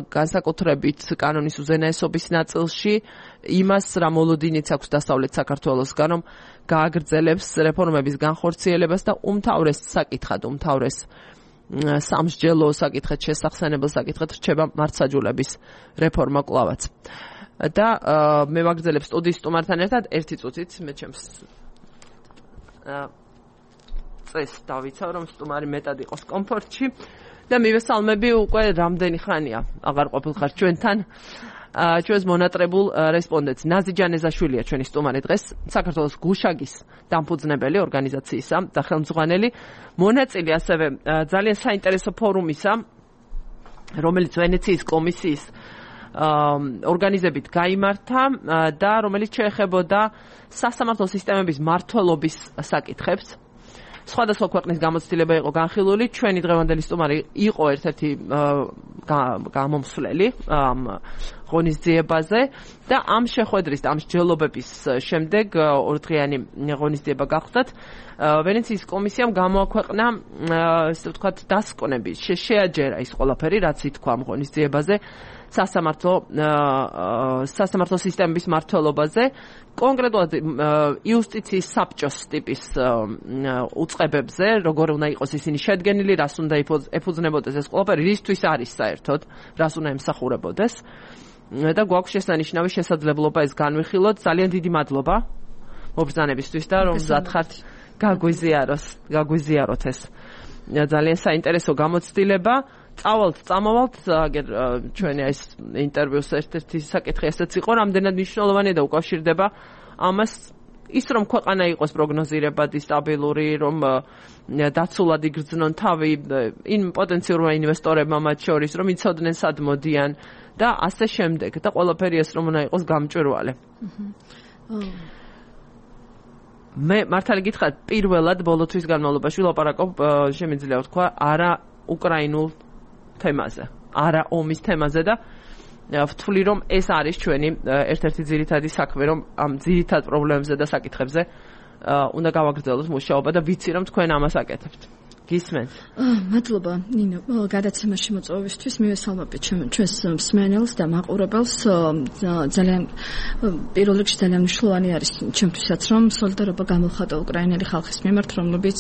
განსაკუთრებით კანონის უზენაესობის ნაწილში, იმას რა მოლოდინიც აქვს დასავლეთ საქართველოსგან, რომ გააგრძელებს რეფორმების განხორციელებას და უმთავრეს საკითხად, უმთავრეს სამსჯელო საკითხად, შესახსენებელ საკითხად რჩება მართლმსაჯულების რეფორმა კვლავაც. და მე ვაგრძელებ სტუდიის სტუმართან ერთად ერთი წუთით, მე ჩემს წეს დავიცავ, რომ სტუმარი მეტად იყოს კომფორტში და მივესალმები უკვე რამდენი ხანია აღარ ყოფილხარ ჩვენთან ჩვენს მონატრებულ რესპონდენტს. ნაზი ჯანეზაშვილია ჩვენი სტუმარი დღეს, საქართველოს გუშაგის დამფუძნებელი ორგანიზაციისა და ხელმძღვანელი, მონაწილე ასევე ძალიან საინტერესო ფორუმისა, რომელიც ვენეციის კომისიის ორგანიზებით გაიმართა და რომელიც შეეხებოდა სასამართლო სისტემების მმართველობის საკითხებს. სხვადასხვა ქვეყნის გამოცდილება იყო განხილული. ჩვენი დღევანდელი სტუმარი იყო ერთ-ერთი გამომსვლელი ამ ღონისძიებაზე და ამ შეხვედრის, ამ მსჯელობების შემდეგ ორდღიანი ღონისძიება გახდათ. ვენეციის კომისიამ გამოაქვეყნა, ესე ვთქვათ, დასკვნები, შეაჯერა ის ყველაფერი, რაც ითქვა ამ ღონისძიებაზე. სასამართლო სასამართლო სისტემის მართლობაზე, კონკრეტულად იუსტიციის საბჭოს ტიპის უწყებებზე, როგორ უნდა იყოს ისინი შედგენილი, რას უნდა ეფუძნებოდეს ეს ყველაფერი, რისთვის არის საერთოდ, რას უნდა ემსახურებოდეს. და გვაქვს შესანიშნავი შესაძლებლობა ეს განვიხილოთ. ძალიან დიდი მადლობა მობრძანებისთვის და რომ მზად გაგვიზიაროს, გაგვიზიაროთ ეს. ძალიან საინტერესო გამოცდილება. წავალთ, წამოვალთ, აგერ ჩვენი ეს ინტერვიუს ერთ-ერთი საკითხი ესეც იყო, რამდენად მნიშვნელოვანია და უკავშირდება ამას ის რომ ქვეყანა იყოს პროგნოზირებადი, სტაბილური, რომ დაცულად იგრძნონ თავი იმ პოტენციურმა ინვესტორებმა მათ შორის, რომ იცოდნენ სად მოდიან და ასე შემდეგ და ყველაფერი ეს რომ უნდა იყოს გამჭვირვალე. მე მართალი გითხრათ, პირველად ბოლოთვის განმავლობაში ვილაპარაკობ, შემიძლია ვთქვა, არა უკრაინულ თემაზე, არა ომის თემაზე და ვთვლი რომ ეს არის ჩვენი ერთ-ერთი ძირითადი საქმე, რომ ამ ძირითად პრობლემებზე და საკითხებზე უნდა გავაგრძელოთ მუშაობა და ვიცი რომ თქვენ ამას აკეთებთ. გისმენთ. მადლობა ნინო, გადაცემაში მოწვევისთვის მივესალმებით ჩვენს მსმენელს და მაყურებელს. ძალიან პირველ რიგში ძალიან მნიშვნელოვანი არის ჩემთვისაც რომ სოლიდარობა გამოვხატო უკრაინელი ხალხის მიმართ, რომლებიც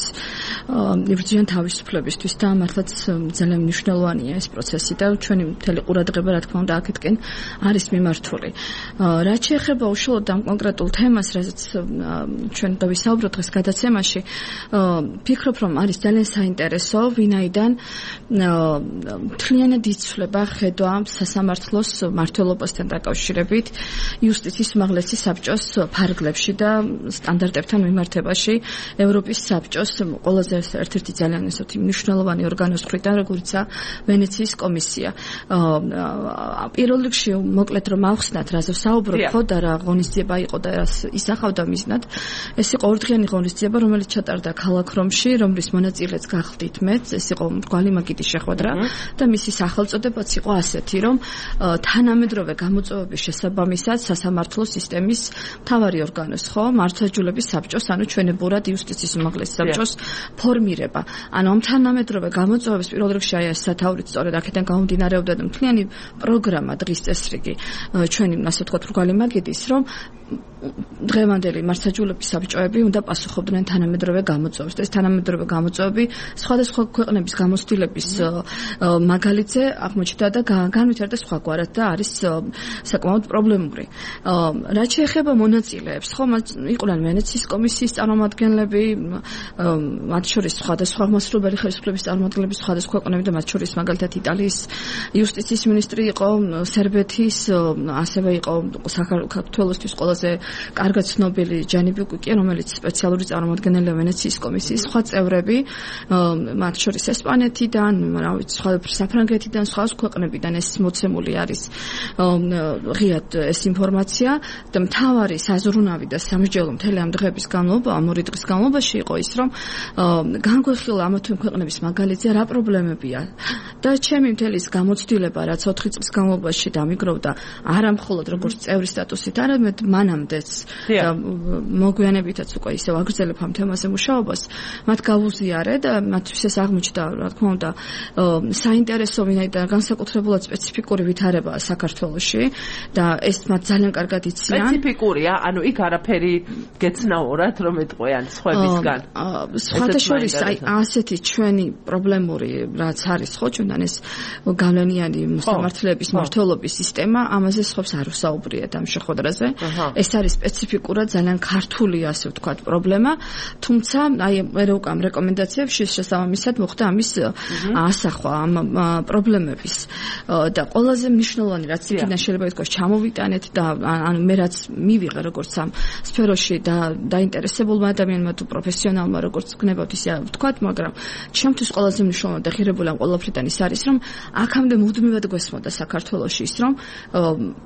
იბრძვიან თავისუფლებისთვის და მართლაც ძალიან მნიშვნელოვანია ეს პროცესი და ჩვენი მთელი ყურადღება რა თქმა უნდა აქეთკენ არის მიმართული. რაც შეეხება უშუალოდ ამ კონკრეტულ თემას, რასაც ჩვენ დავისაუბროთ დღეს გადაცემაში, ფიქრობ რომ არის ძალიან საინტერესო, ვინაიდან მთლიანად იცვლება ხედვა სასამართლოს მმართველობასთან დაკავშირებით იუსტიციის უმაღლესი საბჭოს ფარგლებში და სტანდარტებთან მიმართებაში ევროპის საბჭოს ყველაზე ერთ-ერთი ძალიან ისეთი მნიშვნელოვანი ორგანოს მხრიდან, როგორიცაა ვენეციის კომისია. პირველ რიგში მოკლედ რომ ავხსნათ, რაზე ვსაუბრობ, ხო და რა ღონისძიება იყო და რას ისახავდა მიზნად. ეს იყო ორდღიანი ღონისძიება, რომელიც ჩატარდა ქალაქ რომში, რომლის მონაწილეც გახდით მეც, ეს იყო მრგვალი მაგიდის შეხვედრა და მისი სახელწოდებაც იყო ასეთი, რომ თანამედროვე გამოწვევების შესაბამისად სასამართლო სისტემის მთავარი ორგანოს, ხო, მართლმსაჯულების საბჭოს, ანუ ჩვენებურად იუსტიციის უმაღლესი საბჭოს ფორმირება. ანუ ამ თანამედროვე გამოწვევების პირველ რიგში აი ეს სათაურით სწორედ აქედან გამომდინარეობდა და მთლიანი პროგრამა დღის წესრიგი ჩვენი, ასე ვთქვათ, მრგვალი მაგიდის, რომ დღევანდელი მართლმსაჯულების საბჭოები უნდა პასუხობდნენ თანამედროვე გამოწვევებს. ეს თანამედროვე გამოწვევები სხვადასხვა ქვეყნების გამოცდილების მაგალითზე აღმოჩნდა და განვითარდა სხვაგვარად და არის საკმაოდ პრობლემური. რაც შეეხება მონაწილეებს, ხო, იყვნენ ვენეციის კომისიის წარმომადგენლები, მათ შორის სხვადასხვა აღმასრულებელი ხელისუფლების წარმომადგენლები, სხვადასხვა ქვეყნები და მათ შორის მაგალითად იტალიის იუსტიციის მინისტრი იყო, სერბეთის, ასევე იყო საქართველოსთვის ყველაზე კარგად ცნობილი ჯანი ბიუკიკი, რომელიც სპეციალური წარმომადგენელია ვენეციის კომისიის, სხვა წევრები, მათ შორის ესპანეთიდან, რა ვიცი, სხვა საფრანგეთიდან, სხვა ქვეყნებიდან ეს მოცემული არის ღიად ეს ინფორმაცია და მთავარი საზრუნავი და სამსჯელო მთელი ამ დღეების განმავლობა, ამ ორი დღის განმავლობაში იყო ის, რომ განგვეხილა ამა თუ იმ ქვეყნების მაგალითზე რა პრობლემებია და ჩემი მთელი ის გამოცდილება, რაც ოთხი წლის განმავლობაში დამიგროვდა, არა მხოლოდ როგორც წევრის სტატუსით, არამედ მანამდეც და მოგვიანებითაც უკვე ისევ აგრძელებ ამ თემაზე მუშაობას, მათ გავუზიარე და მათთვის ეს აღმოჩნდა, რა თქმა უნდა, საინტერესო, ვინაიდან განსაკუთრებულად სპეციფიკური ვითარებაა საქართველოში და ეს მათ ძალიან კარგად იციან. სპეციფიკურია, ანუ იქ არაფერი გეცნაურად რომ ეტყვიან სხვებისგან. სხვათა შორის აი ასეთი ჩვენი პრობლემური რაც არის ხო ჩვენთან ეს გავლენიანი მოსამართლეების მმართველობის სისტემა, ამაზე სხვებს არ ვსაუბრიათ ამ შეხვედრაზე. ეს არის სპეციფიკურად ძალიან ქართული, ასე ვთქვათ, პრობლემა, თუმცა აი მე უკვე ამ რეკომენდაციებში შესაბამისად მოხდა ამის ასახვა ამ პრობლემების და ყველაზე მნიშვნელოვანი რაც იქიდან შეიძლება ითქვას ჩამოვიტანეთ და ანუ მე რაც მივიღე როგორც ამ სფეროში და დაინტერესებულმა ადამიანმა თუ პროფესიონალმა როგორც გნებავთ ისე ვთქვათ, მაგრამ ჩემთვის ყველაზე მნიშვნელოვანი და ღირებული ამ ყველაფრიდან ის არის, რომ აქამდე მუდმივად გვესმოდა საქართველოში ის, რომ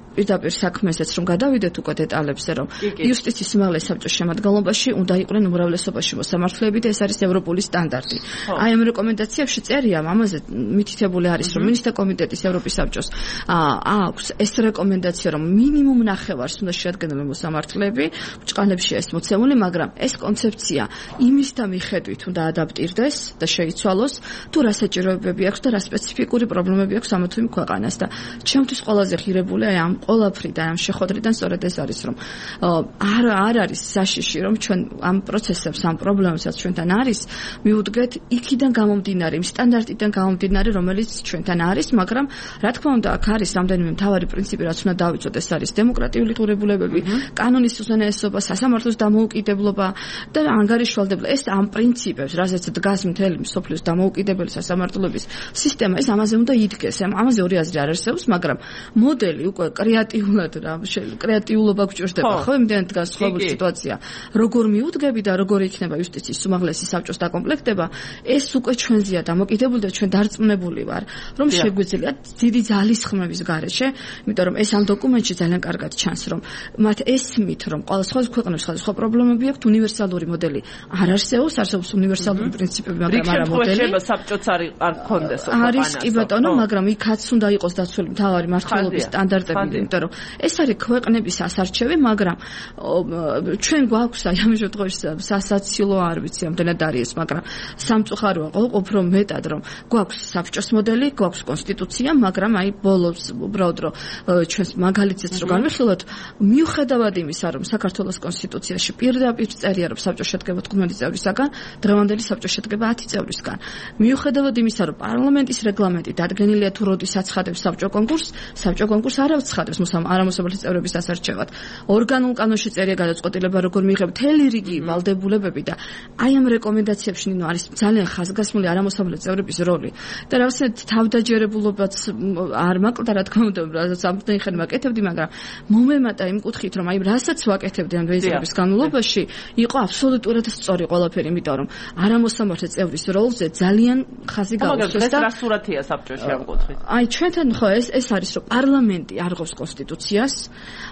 პირდაპირ საქმესაც რომ გადავიდეთ უკვე დეტალებზე, რომ იუსტიციის უმაღლეს საბჭოს შემადგენლობაში უნდა იყვნენ უმრავლესობაში მოსამართლეები და ეს არის ევროპული სტანდარტი. აი ამ რეკომენდაციებში წერია, ამაზე მითითებული არის, რომ მინისტრთა კომიტეტის ევროპის საბჭოს აქვს ეს რეკომენდაცია, რომ მინიმუმ ნახევარს უნდა შეადგენდნენ მოსამართლეები, ბრჭყალებში ეს მოცემული, მაგრამ ეს კონცეფცია იმის და მიხედვით უნდა ადაპტირდეს და შეიცვალოს, თუ რა საჭიროებები აქვს და რა სპეციფიკური პრობლემები აქვს ამა თუ იმ ქვეყანას და ჩემთვის ყველაზე ღირებული აი ამ ყოლაფრიდან, ამ შეხვედრიდან სწორედ ეს არის, რომ არ არ არის საშიში, რომ ჩვენ ამ პროცესებს, ამ პრობლემებსაც ჩვენთან არის, მივუდგეთ იქიდან გამომდინარე, იმ სტანდარტიდან გამომდინარე, რომელიც ჩვენთან არის, მაგრამ რა თქმა უნდა, აქ არის რამდენიმე მთავარი პრინციპი, რაც უნდა დავიცოთ, ეს არის დემოკრატიული ღირებულებები, კანონის უზენაესობა, სასამართლოს დამოუკიდებლობა და ანგარიშვალდება. ეს ამ პრინციპებს, რაზეც დგას მთელი მსოფლიოს დამოუკიდებელი სასამართლოების სისტემა, ეს ამაზე უნდა იდგეს. ამაზე ორი აზრი არ არსებობს, მაგრამ მოდელი უკვე კრეატიულად რა, კრეატიულობა გვჭირდება, ხო, იმდენად დგას სხვადასხვა სიტუაცია. როგორ მიუდგები და როგორ იქნება იუსტიციის უმაღლესი საბჭოს დაკომპლექტება, ეს უკვე ჩვენზეა დამოკიდებული და ჩვენ დარწმუნებული ვარ, რომ შეგვიძლია დიდი ძალისხმების გარეშე, იმიტომ რომ ეს ამ დოკუმენტში ძალიან კარგად ჩანს, რომ მათ ესმით, რომ ყველა სხვადასხვა ქვეყნებს სხვადასხვა პრობლემები აქვს, უნივერსალური მოდელი არ არსებობს, არსებობს უნივერსალური პრინციპები, მაგრამ არა მოდელი. რიგ საბჭოც არ არ ქონდეს ოქროს. არის კი ბატონო, მაგრამ იქაც უნდა იყოს დაცული მთავარი მართლობის სტანდარტები, იმიტომ რომ ეს არის ქვეყნების ასარჩევი, მაგრამ ჩვენ გვაქვს აი ამ შემთხვევაში სასაცილო არ ვიცი ამდენად არის, მაგრამ სამწუხაროა უფრო მეტად, რომ გვაქვს საბჭოს მოდელი, გვაქვს კონსტიტუცია, მაგრამ აი ბოლოს უბრალოდ რომ ჩვენს მაგალითიც რო განვიხილოთ, მიუხედავად იმისა, რომ საქართველოს კონსტიტუციაში პირდაპირ წერია, რომ საბჭო შედგება თხუთმეტი წევრისაგან, დღევანდელი საბჭო შედგება ათი წევრისგან. მიუხედავად იმისა, რომ პარლამენტის რეგლამენტი დადგენილია თუ როდის აცხადებს საბჭო კონკურსს, საბჭო კონკურსს არ აცხადებს არამოსამართლე წევრების ასარჩევად. ორგანულ კანონში წერია გადაწყვეტილება, როგორ მიიღება მთელი რიგი ვალდებულებები და აი ამ რეკომენდაციებში ნინო არის ძალიან ხაზგასმული არამოსამართლე წევრების როლი. და რაღაცნაირად თავდაჯერებულობაც არ მაკლდა, რა თქმა უნდა, რასაც ამდენი ხანი ვაკეთებდი, მაგრამ მომემატა იმ კუთხით, რომ აი რასაც ვაკეთებდი ამ დღეისათვის განმავლობაში, იყო აბსოლუტურად სწორი ყველაფერი, იმიტომ რომ არამოსამართლე წევრის როლზე ძალიან ხაზი გაუსვეს და რა სურათია საბჭოში ამ კუთხით? აი ჩვენთან ხო ეს ეს არის, რომ პარლამენტი არ ღობს კონსტიტუციას,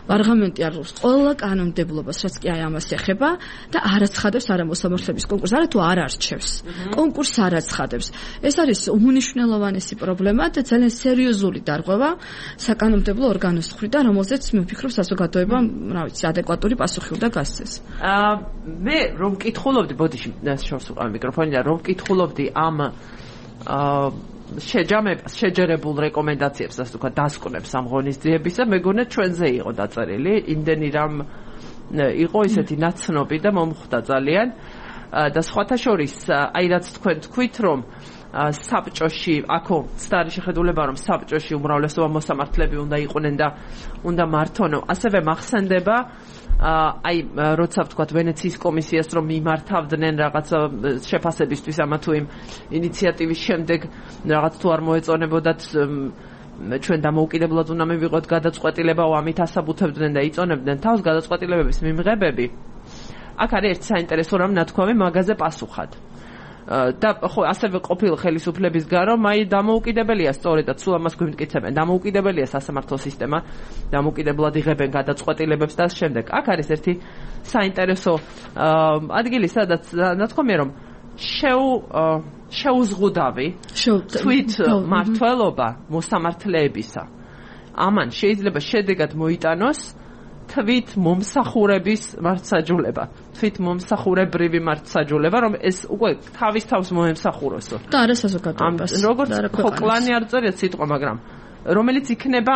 პარლამენტი არ ღობს ყველა კანონმდებლობას, რაც კი აი ამას ეხება და არ აცხადებს არამოსამართლეების კონკურსს, არა თუ არ არჩევს. კონკურსს არ აცხადებს. ეს არის უმნიშვნელოვანესი პრობლემა და ძალიან სერიოზული დარღვევა საკანონმდებლო ორგანოს მხრიდან, რომელზეც მე ვფიქრობ საზოგადოებამ, რა ვიცი, ადეკვატური პასუხი უნდა გასცეს. აა მე რომ მკითხულობდი, ბოდიში, შორს უყავ მიკროფონი და რომ მკითხულობდი ამ აა შეჯამებას, შეჯერებულ რეკომენდაციებს, ასე ვთქვათ, დასკვნებს ამ ღონისძიებისა, მეგონა ჩვენზე იყო დაწერილი, იმდენი რამ იყო ისეთი ნაცნობი და მომხვდა ძალიან და სხვათა შორის, აი რაც თქვენ თქვით, რომ საბჭოში, აქო სტარი შეხედულება, რომ საბჭოში უმრავლესობა მოსამართლეები უნდა იყვნენ და უნდა მართონო, ასევე მახსენდება აი როცა ვთქვათ ვენეციის კომისიას რომ მიმართავდნენ რაღაც შეფასებისთვის ამა თუ იმ ინიციატივის შემდეგ რაღაც თუ არ მოეწონებოდათ ჩვენ დამოუკიდებლად უნდა მივიღოთ გადაწყვეტილება, ამით ასაბუთებდნენ და იწონებდნენ თავს გადაწყვეტილებების მიმღებები. აქ არის ერთ საინტერესო რამ ნათქვამი მაგაზე პასუხად. და ხო ასევე ყოფილ ხელისუფლების გარო მაი დამოუკიდებელია სწორედაც სულ ამას გვიმტკიცებენ დამოუკიდებელია სასამართლო სისტემა დამოუკიდებლად იღებენ გადაწყვეტილებებს და შემდეგ აქ არის ერთი საინტერესო ადგილი სადაც ნათქვამია რომ შეუ შეუზღუდავი თვით მართლობა მოსამართლეებისა ამან შეიძლება შედეგად მოიტანოს თვით მომსახურების მართსაჯულება, თვით მომსახურებრივი მართსაჯულება, რომ ეს უკვე თავის თავს მოემსახუროსო. და არა საზოგადოებას. როგორც ხო კლანი არ წერია სიტყვა, მაგრამ რომელიც იქნება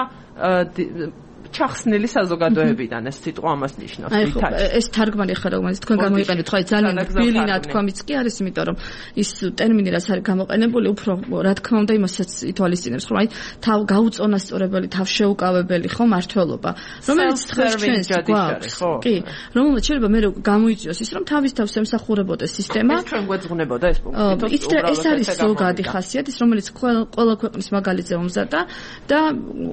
ჩახსნილი საზოგადოებიდან ეს სიტყვა ამას ნიშნავს. ეს თარგმანი ხარ, რომელიც თქვენ გამოიყენეთ, ხო, ძალიან ბილი ნათქვამიც კი არის, იმიტომ რომ ის ტერმინი რაც არის გამოყენებული, უფრო რა თქმა უნდა იმასაც ითვალისწინებს, რომ აი თავ გაუწონასწორებელი, თავშეუკავებელი, ხო, მართლობა, რომელიც დღეს ჩვენს გვაქვს. კი, რომელმაც შეიძლება მე გამოიწვიოს ის, რომ თავის თავს ემსახურებოდეს სისტემა. ეს ჩვენ გვეძღვნებოდა ეს პუნქტი. ეს არის ზოგადი ხასიათი, რომელიც ყველა ქვეყნის მაგალითზე მომზადდა და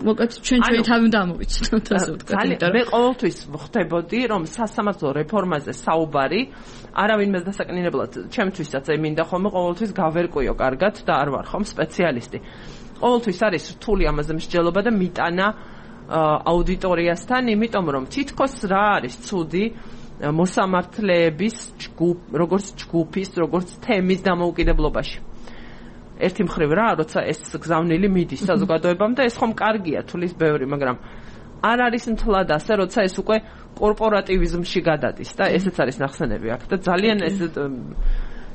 მოკლედ ჩვენ ჩვენი თავი უნდა ამოვიცნოთ. მე ყოველთვის ვხვდებოდი, რომ სასამართლო რეფორმაზე საუბარი არავინმე დასაკნინებლად, ჩემთვისაც მინდა ხოლმე ყოველთვის გავერკვიო კარგად და არ ვარ ხომ სპეციალისტი. ყოველთვის არის რთული ამაზე მსჯელობა და მიტანა აუდიტორიასთან, იმიტომ რომ თითქოს რა არის ცუდი მოსამართლეების ჯგუფ, როგორც ჯგუფის, როგორც თემის დამოუკიდებლობაში. ერთი მხრივ რა, როცა ეს გზავნილი მიდის საზოგადოებამ და ეს ხომ კარგია, თulis ბევრი, მაგრამ არ არის მთლად ასე, როცა ეს უკვე კორპორატივიზმში გადადის და ესეც არის ნახსენები აქ და ძალიან ეს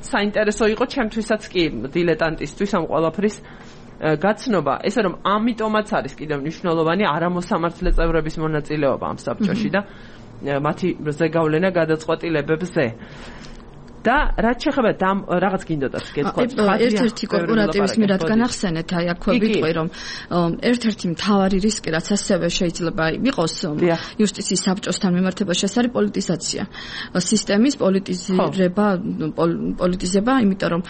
საინტერესო იყო ჩემთვისაც კი დილეტანტისთვის ამ ყველაფრის გაცნობა, ესე რომ ამიტომაც არის კიდევ მნიშვნელოვანი არამოსამართლე წევრების მონაწილეობა ამ საბჭოში და მათი ზეგავლენა გადაწყვეტილებებზე. და რაც შეეხება დამ რაღაც გინდოდათ გეთქვათ ერთ-ერთი კორპორატივის მირად განახსენეთ აი აქვე ვიტყვი რომ ერთ-ერთი მთავარი რისკი რაც ასევე შეიძლება იყოს იუსტიციის საბჭოსთან მიმართებაში ეს არის პოლიტიზაცია სისტემის პოლიტიზირება პოლიტიზება იმიტომ რომ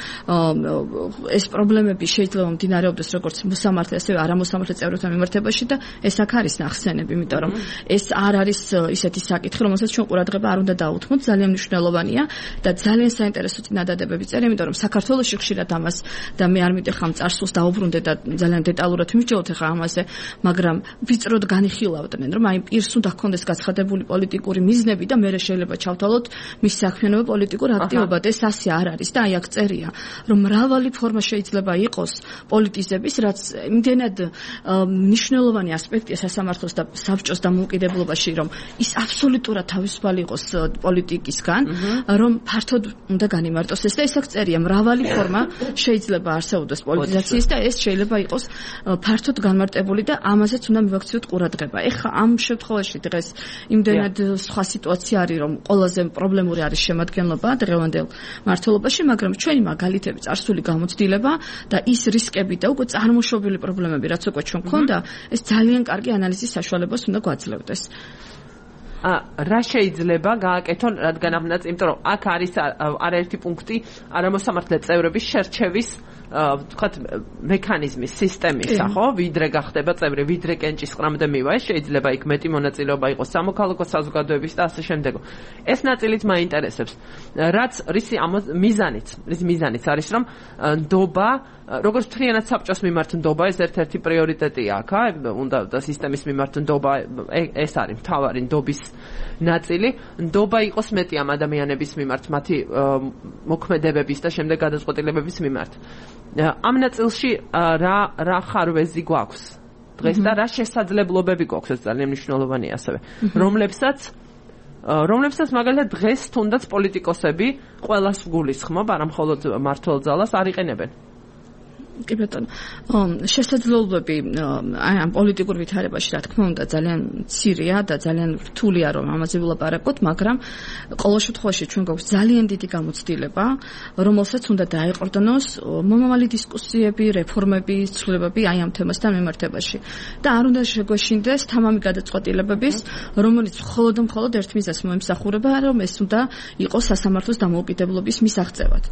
ეს პრობლემები შეიძლება მდინარეობდეს როგორც მოსამართლე ასევე არამოსამართლე წევრებთან მიმართებაში და ეს აქ არის ნახსენები იმიტომ რომ ეს არ არის ისეთი საკითხი რომელსაც ჩვენ ყურადღება არ უნდა დაუთმოთ ძალიან მნიშვნელოვანია და ძალიან საინტერესო წინადადებები წერია, იმიტომ რომ საქართველოში ხშირად ამას და მე არ მიტეხა წარსულს დაუბრუნდე და ძალიან დეტალურად მივჭროთ ახლა ამაზე, მაგრამ ვიწროდ განიხილავდნენ, რომ აი პირს უნდა ჰქონდეს გაცხადებული პოლიტიკური მიზნები და მე შეიძლება ჩავთვალოთ მის საქმიანობა პოლიტიკურ აქტივობად. ეს ასე არ არის და აი აქ წერია, რომ მრავალი ფორმა შეიძლება იყოს პოლიტიზების, რაც იმდენად მნიშვნელოვანი ასპექტია სასამართლოს და საბჭოს დამოუკიდებლობაში, რომ ის აბსოლუტურად თავისუფალი იყოს პოლიტიკისგან, რომ ფართოდ უნდა განიმარტოს ეს და ისე წერია მრავალი ფორმა შეიძლება არსებობდეს პოლიტიზაციის და ეს შეიძლება იყოს ფართოდ განმარტებული და ამაზეც უნდა მივაქციოთ ყურადღება. ეხლა ამ შემთხვევაში დღეს იმდენად სხვა სიტუაცია არის რომ ყველაზე პრობლემური არის შემადგენლობა დღევანდელ მართლობაში, მაგრამ ჩვენი მაგალითები წარსული გამოცდილება და ის რისკები და უკვე წარმოშობილი პრობლემები რაც უკვე ჩვენ გქონდა, ეს ძალიან კარგი ანალიზის საშუალებას უნდა გვაძლევდეს. რა შეიძლება გააკეთონ, რადგან ამნაც, იმიტომ რომ აქ არის არაერთი პუნქტი არამოსამართლე წევრების შერჩევის ვთქვათ მექანიზმის სისტემისა, ხო? ვიდრე გახდება წევრი, ვიდრე კენჭისყრამდე მივა, ეს შეიძლება იქ მეტი მონაწილეობა იყოს სამოქალაქო საზოგადოების და ასე შემდეგ. ეს ნაწილიც მაინტერესებს. რაც რისი მიზანიც, რის მიზანიც არის, რომ ნდობა როგორც მთლიანად საბჭოს მიმართ ნდობა ეს ერთ-ერთი პრიორიტეტია აქ, უნდა და სისტემის მიმართ ნდობა ეს არის მთავარი ნდობის ნაწილი. ნდობა იყოს მეტი ამ ადამიანების მიმართ, მათი მოქმედებების და შემდეგ გადაწყვეტილებების მიმართ. ამ ნაწილში რა რა ხარვეზი გვაქვს დღეს და რა შესაძლებლობები გვაქვს, ეს ძალიან მნიშვნელოვანია ასევე, რომლებსაც რომლებსაც მაგალითად დღეს თუნდაც პოლიტიკოსები ყველას გულისხმობ, არა მხოლოდ მმართველ ძალას არ იყენებენ. კი ბატონო, შესაძლებლობები აი ამ პოლიტიკურ ვითარებაში რა თქმა უნდა ძალიან მცირეა და ძალიან რთულია რომ ამაზე ვილაპარაკოთ, მაგრამ ყოველ შემთხვევაში ჩვენ გვაქვს ძალიან დიდი გამოცდილება, რომელსაც უნდა დაეყრდნოს მომავალი დისკუსიები, რეფორმები, ცვლილებები აი ამ თემასთან მიმართებაში. და არ უნდა შეგვეშინდეს თამამი გადაწყვეტილებების, რომელიც მხოლოდ და მხოლოდ ერთ მიზანს მოემსახურება, რომ ეს უნდა იყოს სასამართლოს დამოუკიდებლობის მისაღწევად.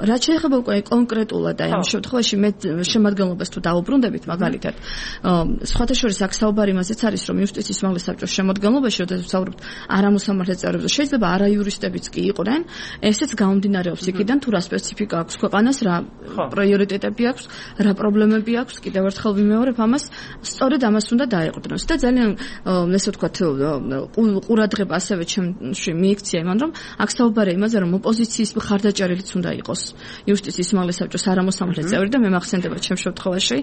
რაც შეეხება უკვე კონკრეტულად აი ამ შემთხვევაში მე შემადგენლობას თუ დაუბრუნდებით მაგალითად სხვათა შორის აქ საუბარი იმაზეც არის რომ იუსტიციის უმაღლეს საბჭოს შემადგენლობაში როდესაც ვსაუბრობთ არამოსამართლე წევრებზე შეიძლება არაიურისტებიც კი იყვნენ ესეც გამომდინარეობს იქიდან თუ რა სპეციფიკა აქვს ქვეყანას რა პრიორიტეტები აქვს რა პრობლემები აქვს კიდევ ერთხელ ვიმეორებ ამას სწორედ ამას უნდა დაეყრდნოს და ძალიან ესე ვთქვათ ყურადღება ასევე ჩემში მიიქცია იმან რომ აქ საუბარია იმაზე რომ ოპოზიციის მხარდაჭერილიც უნდა იყოს იუსტიციის უმაღლეს საბჭოს არამოსამართლე წევრი და მე მახსენდება ჩემ შემთხვევაში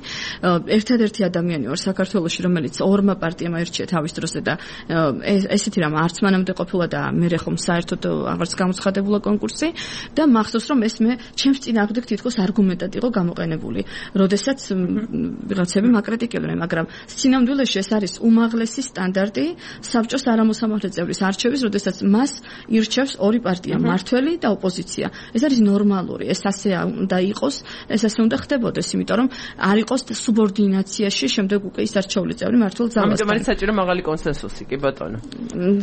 ერთადერთი ადამიანი ვარ საქართველოში რომელიც ორმა პარტიამ აირჩია თავის დროზე და ესეთი რამ არც მანამდე ყოფილა და მე ხომ საერთოდ აღარც გამოცხადებულა კონკურსი და მახსოვს რომ ეს მე ჩემს წინააღმდეგ თითქოს არგუმენტად იყო გამოყენებული როდესაც ვიღაცები მაკრიტიკებდნენ მაგრამ სინამდვილეში ეს არის უმაღლესი სტანდარტი საბჭოს არამოსამართლე წევრის არჩევის როდესაც მას ირჩევს ორი პარტია მმართველი და ოპოზიცია ეს არის ნორმალური ეს ასე უნდა იყოს ეს ასე უნდა ხდებოდეს, იმიტომ რომ არ იყოს სუბორდინაციაში შემდეგ უკვე ის არჩეული წევრი მართულ ძალასთან. ამიტომ არის საჭირო მაღალი კონსენსუსი, კი ბატონო.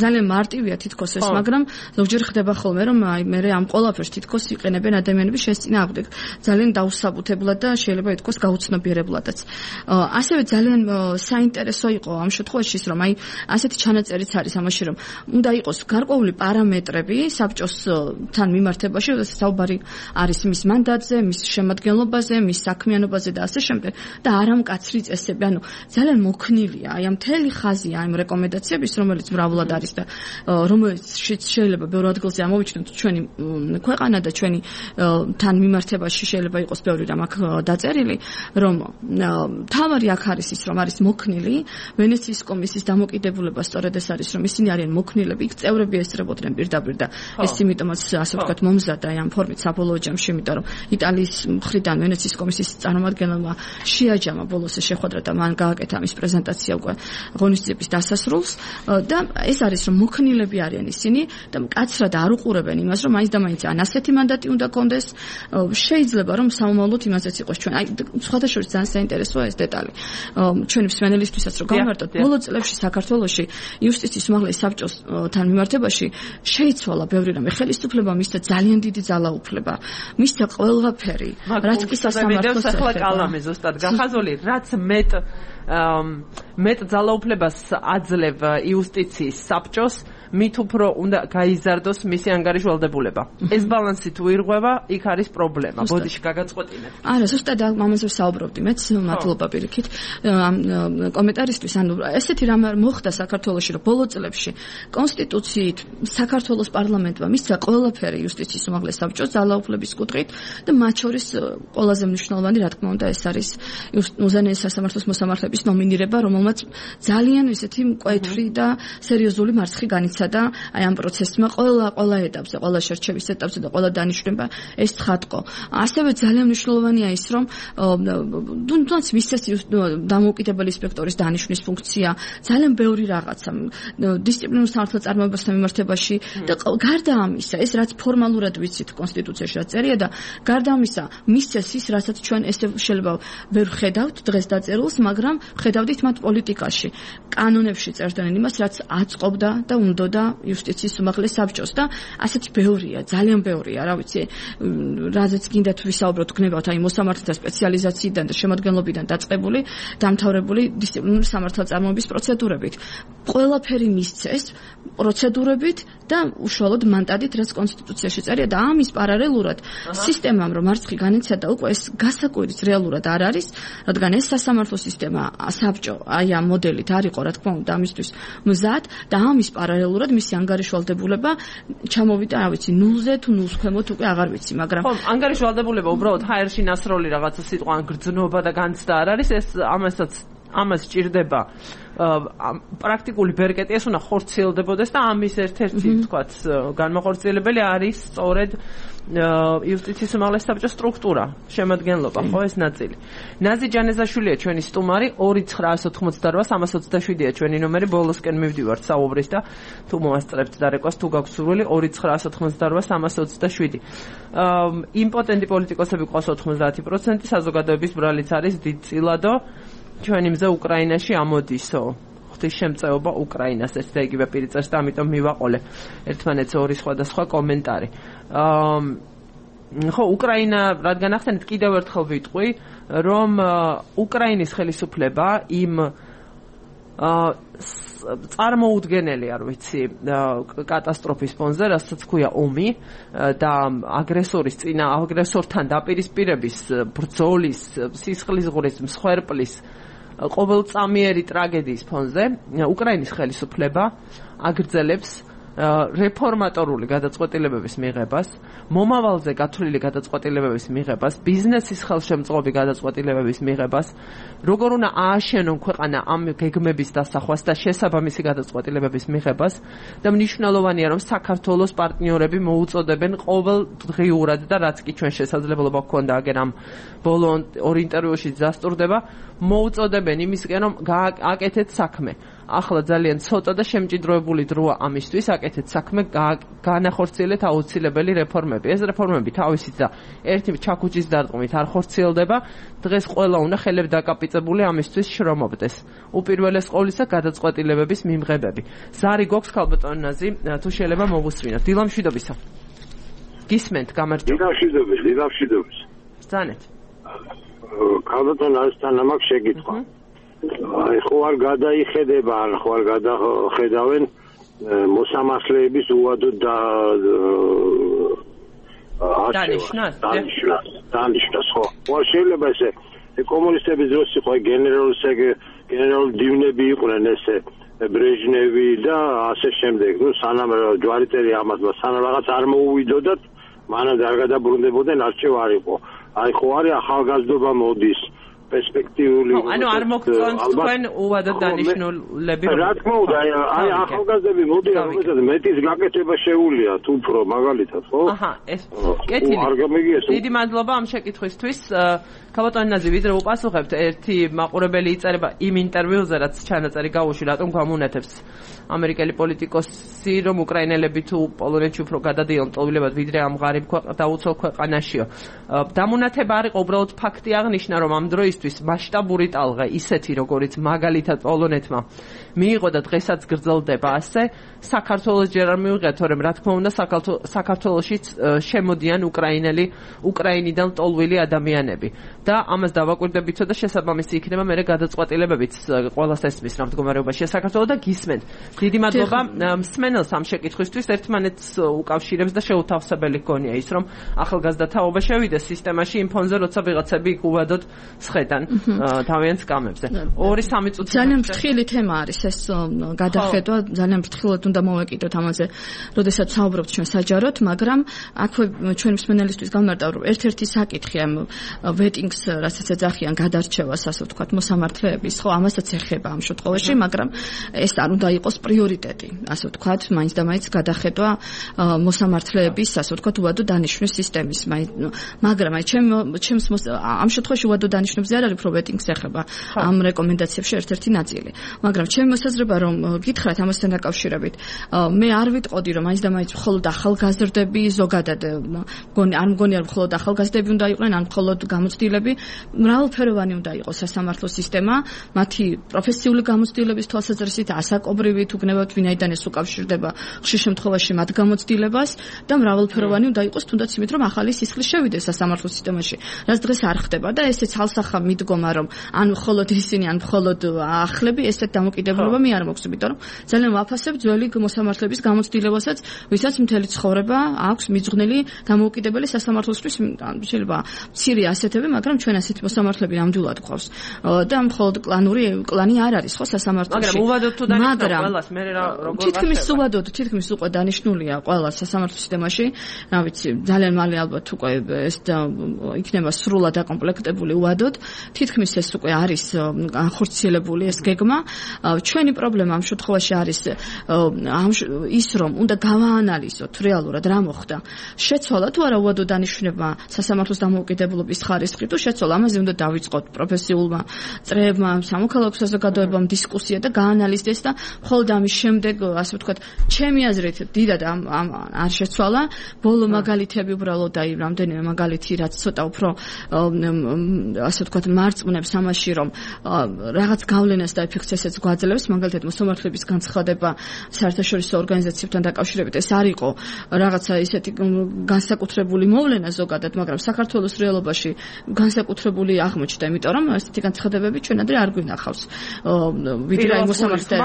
ძალიან მარტივია თითქოს ეს, მაგრამ ზოგჯერ ხდება ხოლმე რომ აი მე ამ ყველაფერს თითქოს იყენებენ ადამიანები შენს წინააღმდეგ. ძალიან დაუსაბუთებლად და შეიძლება ითქვას გაუცნობიერებლადაც. ასევე ძალიან საინტერესო იყო ამ შემთხვევაში რომ აი ასეთი ჩანაწერიც არის ამაში რომ უნდა იყოს გარკვეული პარამეტრები საბჭოსთან მიმართებაში, როდესაც საუბარი არის მის მანდატზე, მის შემადგენლობაზე, მის საქმიანობაზე და ასე შემდეგ და არა მკაცრი წესები. ანუ ძალიან მოქნილია აი ამ მთელი ხაზია ამ რეკომენდაციების, რომელიც მრავლად არის და რომელიც შეიძლება ბევრ ადგილზე ამოვიჩნოთ ჩვენი ქვეყანა და ჩვენი თან მიმართებაში შეიძლება იყოს ბევრი რამ აქ დაწერილი, რომ თავარი აქ არის ის, რომ არის მოქნილი ვენეციის კომისიის დამოკიდებულება სწორედ ეს არის, რომ ისინი არიან მოქნილები, იქ წევრები ესწრებოდნენ პირდაპირ და ეს იმიტომაც ასე ვთქვათ მომზადდა ამ ფორმით საბოლოო ჯამში, იმიტომ რომ იტალიის მხრიდან ვენეციის კომისიის წარმომადგენელმა შეაჯამა ბოლოს შეხვედრა და მან გააკეთა ამის პრეზენტაცია უკვე ღონისძიების დასასრულს და ეს არის, რომ მოქნილები არიან ისინი და მკაცრად არ უყურებენ იმას, რომ მაინც და მაინც ან ასეთი მანდატი უნდა კონდეს, შეიძლება რომ სამომავლოდ იმასაც იყოს ჩვენ. აი სხვადასხვა ძალიან საინტერესოა ეს დეტალი. ჩვენი მსმენელისთვისაც რომ გავმარტოთ, ბოლო წლებში საქართველოში იუსტიციის უმაღლესი საბჭოსთან მიმართებაში შეიცვალა ბევრი რამე. ხელისუფლება მისცა ძალიან დიდი ძალაუფლება. მისცა ყველაფერი, რაც კი სასამართლოს ახლა კალამი ზუსტად გახაზული, რაც მეტ მეტ ძალაუფლებას აძლევ იუსტიციის საბჭოს, მით უფრო უნდა გაიზარდოს მისი ანგარიშვალდებულება. ეს ბალანსი თუ ირღვევა, იქ არის პრობლემა. ბოდიში გაგაწყვეტინეთ. არა, ზუსტად ამაზე ვსაუბრობდი მეც, მადლობა პირიქით ამ კომენტარისთვის. ანუ ესეთი რამ მოხდა საქართველოში, რომ ბოლო წლებში კონსტიტუციით საქართველოს პარლამენტმა მისცა ყველაფერი იუსტიციის უმაღლეს საბჭოს ძალაუფლების კუთხით და მათ შორის ყველაზე მნიშვნელოვანი, რა თქმა უნდა, ეს არის უზენაეს სასამართლოს მოსამართლეების ნომინირება, რომელმაც ძალიან ისეთი მკვეთრი და სერიოზული მარცხი განიცადა აი ამ პროცესმა ყველა ყველა ეტაპზე, ყველა შერჩევის ეტაპზე და ყველა დანიშვნება ეს ცხადყო. ასევე ძალიან მნიშვნელოვანია ის, რომ თუნდაც მისცეს დამოუკიდებელი ინსპექტორის დანიშვნის ფუნქცია, ძალიან ბევრი რაღაცა დისციპლინურ სამართალწარმოებასთან მიმართებაში და გარდა ამისა, ეს რაც ფორმალურად ვიცით კონსტიტუციაში რაც წერია და გარდა ამისა, მისცეს ის, რასაც ჩვენ ესე შეიძლება ვერ ხედავთ დღეს დაწერილს, მაგრამ ხედავდით მათ პოლიტიკაში. კანონებში წერდნენ იმას, რაც აწყობდა და უნდოდა იუსტიციის უმაღლეს საბჭოს და ასეთი ბევრია, ძალიან ბევრია, რა ვიცი, რაზეც გინდათ ვისაუბროთ, გნებავთ აი მოსამართლეთა სპეციალიზაციიდან და შემადგენლობიდან დაწყებული, დამთავრებული დისციპლინური სამართალწარმოების პროცედურებით. ყველაფერი მისცეს პროცედურებით და უშუალოდ მანდატით, რაც კონსტიტუციაში წერია და ამის პარალელურად სისტემამ რომ მარცხი განიცადა, უკვე ეს გასაკვირიც რეალურად არ არის, რადგან ეს სასამართლო სისტემა საბჭო აი ამ მოდელით არ იყო, რა თქმა უნდა, ამისთვის მზად და ამის პარალელურად მისი ანგარიშვალდებულება ჩამოვიდა, რა ვიცი, ნულზე თუ ნულს ქვემოთ უკვე აღარ ვიცი, მაგრამ ხო, ანგარიშვალდებულება უბრალოდ ჰაერში ნასროლი რაღაცა სიტყვა გრძნობა და განცდა არ არის, ეს ამასაც ამას ჭირდება პრაქტიკული ბერკეტი, ეს უნდა ხორციელდებოდეს და ამის ერთ-ერთი თქვათ განმახორციელებელი არის სწორედ იუსტიციის უმაღლეს საბჭოს სტრუქტურა, შემადგენლობა, ხო ეს ნაწილი. ნაზი ჯანეზაშვილია ჩვენი სტუმარი, ორი ცხრაას ოთხმოცდარვა სამას ოცდაშვიდია ჩვენი ნომერი, ბოლოსკენ მივდივართ საუბრის და თუ მოასწრებთ დარეკოს, თუ გაქვთ სურვილი, ორი ცხრაას ოთხმოცდარვა სამას ოცდაშვიდი. იმპოტენტი პოლიტიკოსები ყავს ოთხმოცდაათი პროცენტი, საზოგადოების ბრალიც არის დიდწილადო. ჩვენი მზე უკრაინაში ამოდისო. ღვთის შემწეობა უკრაინას, ეს და იგივე პირი წერს და ამიტომ მივაყოლე ერთმანეთს ორი სხვადასხვა კომენტარი. ხო, უკრაინა, რადგან ახსენეთ, კიდევ ერთხელ ვიტყვი, რომ უკრაინის ხელისუფლება იმ წარმოუდგენელი, არ ვიცი, კატასტროფის ფონზე, რასაც ქვია ომი და აგრესორის წინა აგრესორთან დაპირისპირების, ბრძოლის, სისხლისღვრის, მსხვერპლის ყოველწამიერი ტრაგედიის ფონზე უკრაინის ხელისუფლება აგრძელებს რეფორმატორული გადაწყვეტილებების მიღებას, მომავალზე გათვლილი გადაწყვეტილებების მიღებას, ბიზნესის ხელშემწყობი გადაწყვეტილებების მიღებას, როგორ უნდა ააშენონ ქვეყანა ამ გეგმების დასახვას და შესაბამისი გადაწყვეტილებების მიღებას და მნიშვნელოვანია, რომ საქართველოს პარტნიორები მოუწოდებენ ყოველდღიურად და რაც კი ჩვენ შესაძლებლობა გქონდა აგერ ამ ბოლო ორი ინტერვიუში დასტურდება, მოუწოდებენ იმისკენ, რომ გააკეთეთ საქმე. ახლა ძალიან ცოტა და შემჭიდროებული დროა ამისთვის, აკეთეთ საქმე, განახორციელეთ აუცილებელი რეფორმები. ეს რეფორმები თავისით და ერთი ჩაქუჩის დარტყმით არ ხორციელდება. დღეს ყველა უნდა ხელები დაკაპიწებული ამისთვის შრომობდეს. უპირველეს ყოვლისა გადაწყვეტილებების მიმღებები. ზარი გვაქვს ქალბატონ ნაზი, თუ შეიძლება მოგუსმინოთ. დილამშვიდობისა. გისმენთ, გამარჯობა. დილამშვიდობის, დილამშვიდობის. ბრძანეთ. ქალბატონ ნაზთან ამაქვს შეკითხვა. აი ხო არ გადაიხედება, არ ხო არ გადახედავენ მოსამართლეების უადოდ და დანიშნას დანიშნას დანიშნას ხო ხო შეიძლება ესე კომუნისტების დროს იყო გენერალური გენერალური დივნები იყვნენ ესე ბრეჟნევი და ასე შემდეგ ნუ სანამ ჯვარიტერი ამას სანამ რაღაც არ მოუვიდოდათ მანამდე არ გადაბრუნდებოდნენ არჩევ არ იყო აი ხო არის ახალგაზრდობა მოდის პერსპექტიული ანუ არ მოგწონთ თქვენ უვადოდ დანიშნულები რა თქმა უნდა აი ახალგაზრდები მოდიან რომელსაც მეტის გაკეთება შეუულია თუ უფრო მაგალითად ხო აჰა ეს კეთილი დიდი მადლობა ამ შეკითხვისთვის ქალბატონი ვიდრე უპასუხებთ ერთი მაყურებელი იწერება იმ ინტერვიუზე რაც ჩანაწერი გავუშვი რატომ გამუნათებს ამერიკელი პოლიტიკოსი რომ უკრაინელები თუ პოლონეთში უფრო გადადიან ტოლვილებად ვიდრე ამ ღარიბ დაუცველ ქვეყანაშიო დამუნათება არ იყო უბრალოდ ფაქტი აღნიშნა რომ ამ დროისთვის მასშტაბური ტალღა ისეთი როგორიც მაგალითად პოლონეთმა მიიღო და დღესაც გრძელდება ასე საქართველოს ჯერ არ მიიღეთ თორემ რა თქმა უნდა საქართველოშიც შემოდიან უკრაინელი უკრაინიდან ტოლვილი ადამიანები და ამას დავაკვირდებითო და შესაბამისი იქნება მე გადაწყვეტილებებიც ყველას ესმის რა მდგომარეობაშია საქართველო და გისმენთ დიდი მადლობა მსმენელს ამ შეკითხვისთვის ერთმანეთს უკავშირებს და შეუთავსებელი გონია ის რომ ახალგაზრდა თაობა შევიდეს სისტემაში იმ ფონზე როცა ვიღაცები იქ უვადოდ სხედან თავიანთ სკამებზე ორი სამი წუთი ძალიან ფრთხილი თემა არის ეს გადახედვა ძალიან ფრთხილად უნდა მოვეკიდოთ ამაზე როდესაც საუბრობთ ჩვენ საჯაროდ მაგრამ აქვე ჩვენ მსმენელისთვის გამარტავ რომ ერთ-ერთი საკითხი ამ ვეტინგს რასაც ეძახიან გადარჩევას ასე ვთქვათ მოსამართლეების ხო ამასაც ეხება ამ შემთხვევაში მაგრამ ეს არ უნდა იყოს პრიორიტეტი ასე ვთქვათ მაინც და მაინც გადახედვა მოსამართლეების ასე ვთქვათ უვადო დანიშვნის სისტემის მაგრამ აი ჩემ ჩემს ამ შემთხვევაში უვადო დანიშნებზე არ არის პროვეტინგს ეხება ამ რეკომენდაციებში ერთ-ერთი ნაწილი მაგრამ ჩემი მოსაზრება რომ გითხრათ ამასთან დაკავშირებით მე არ ვიტყოდი რომ მაინც და მაინც მხოლოდ ახალგაზრდები ზოგადად მგონი არ მგონია რომ მხოლოდ ახალგაზრდები უნდა იყვნენ ან მხოლოდ გამოცდილები მრავალფეროვანი უნდა იყოს სასამართლო სისტემა მათი პროფესიული გამოცდილების თვალსაზრისით ასაკობრივი თუ გნებავთ ვინაიდან ეს უკავშირდება ხშირ შემთხვევაში მათ გამოცდილებას და მრავალფეროვანი უნდა იყოს თუნდაც იმით რომ ახალი სისხლი შევიდეს სასამართლო სისტემაში რაც დღეს არ ხდება და ესეც ალსახა მიდგომა რომ ან მხოლოდ ისინი ან მხოლოდ ახლები ესეთ დამოკიდებულება მე არ მაქვს იმიტომ რომ ძალიან ვაფასებ ძველი მოსამართლეების გამოცდილებასაც ვისაც მთელი ცხოვრება აქვს მიძღვნილი დამოუკიდებელი სასამართლოსთვის შეიძლება მცირე ასეთები მაგრამ ჩვენ ასეთი მოსამართლეები ნამდვილად გვყავს და მხოლოდ კლანური კლანი არ არის ხო სასამართლოში მაგრამ უვადოდ თუ დანიშნულ ყველას მე როგორ თითქმის უვადოდ თითქმის უკვე დანიშნულია ყველა სასამართლო სისტემაში რა ვიცი ძალიან მალე ალბათ უკვე ეს იქნება სრულად აკომპლექტებული უვადოდ თითქმის ეს უკვე არის განხორციელებული ეს გეგმა ჩვენი პრობლემა ამ შემთხვევაში არის ის რომ უნდა გავაანალიზოთ რეალურად რა მოხდა შეცვალა თუ არა უვადო დანიშვნება სასამართლოს დამოუკიდებლობის ხარისხი თუ შეცვალა ამაზე უნდა დავიწყოთ პროფესიულმა წრეებმა სამოქალაქო საზოგადოებამ დისკუსია და გაანალიზდეს და მხოლოდ ამის შემდეგ ასე ვთქვათ ჩემი აზრით დიდად არ შეცვალა ბოლო მაგალითები უბრალოდ აი რამდენიმე მაგალითი რაც ცოტა უფრო ასე ვთქვათ მარწმუნებს ამაში რომ რაღაც გავლენას და ეფექტს ესეც გვაძლევს მაგალითად მოსამართლეების განცხადება საერთაშორისო ორგანიზაციებთან დაკავშირებით ეს არ იყო რაღაცა ისეთი განსაკუთრებული მოვლენა ზოგადად მაგრამ საქართველოს რეალობაში განსაკუთრებული აღმოჩნდა იმიტომ რომ ესეთი განცხადებები ჩვენ ადრე არ გვინახავს ვიდრე აი მოსამართლე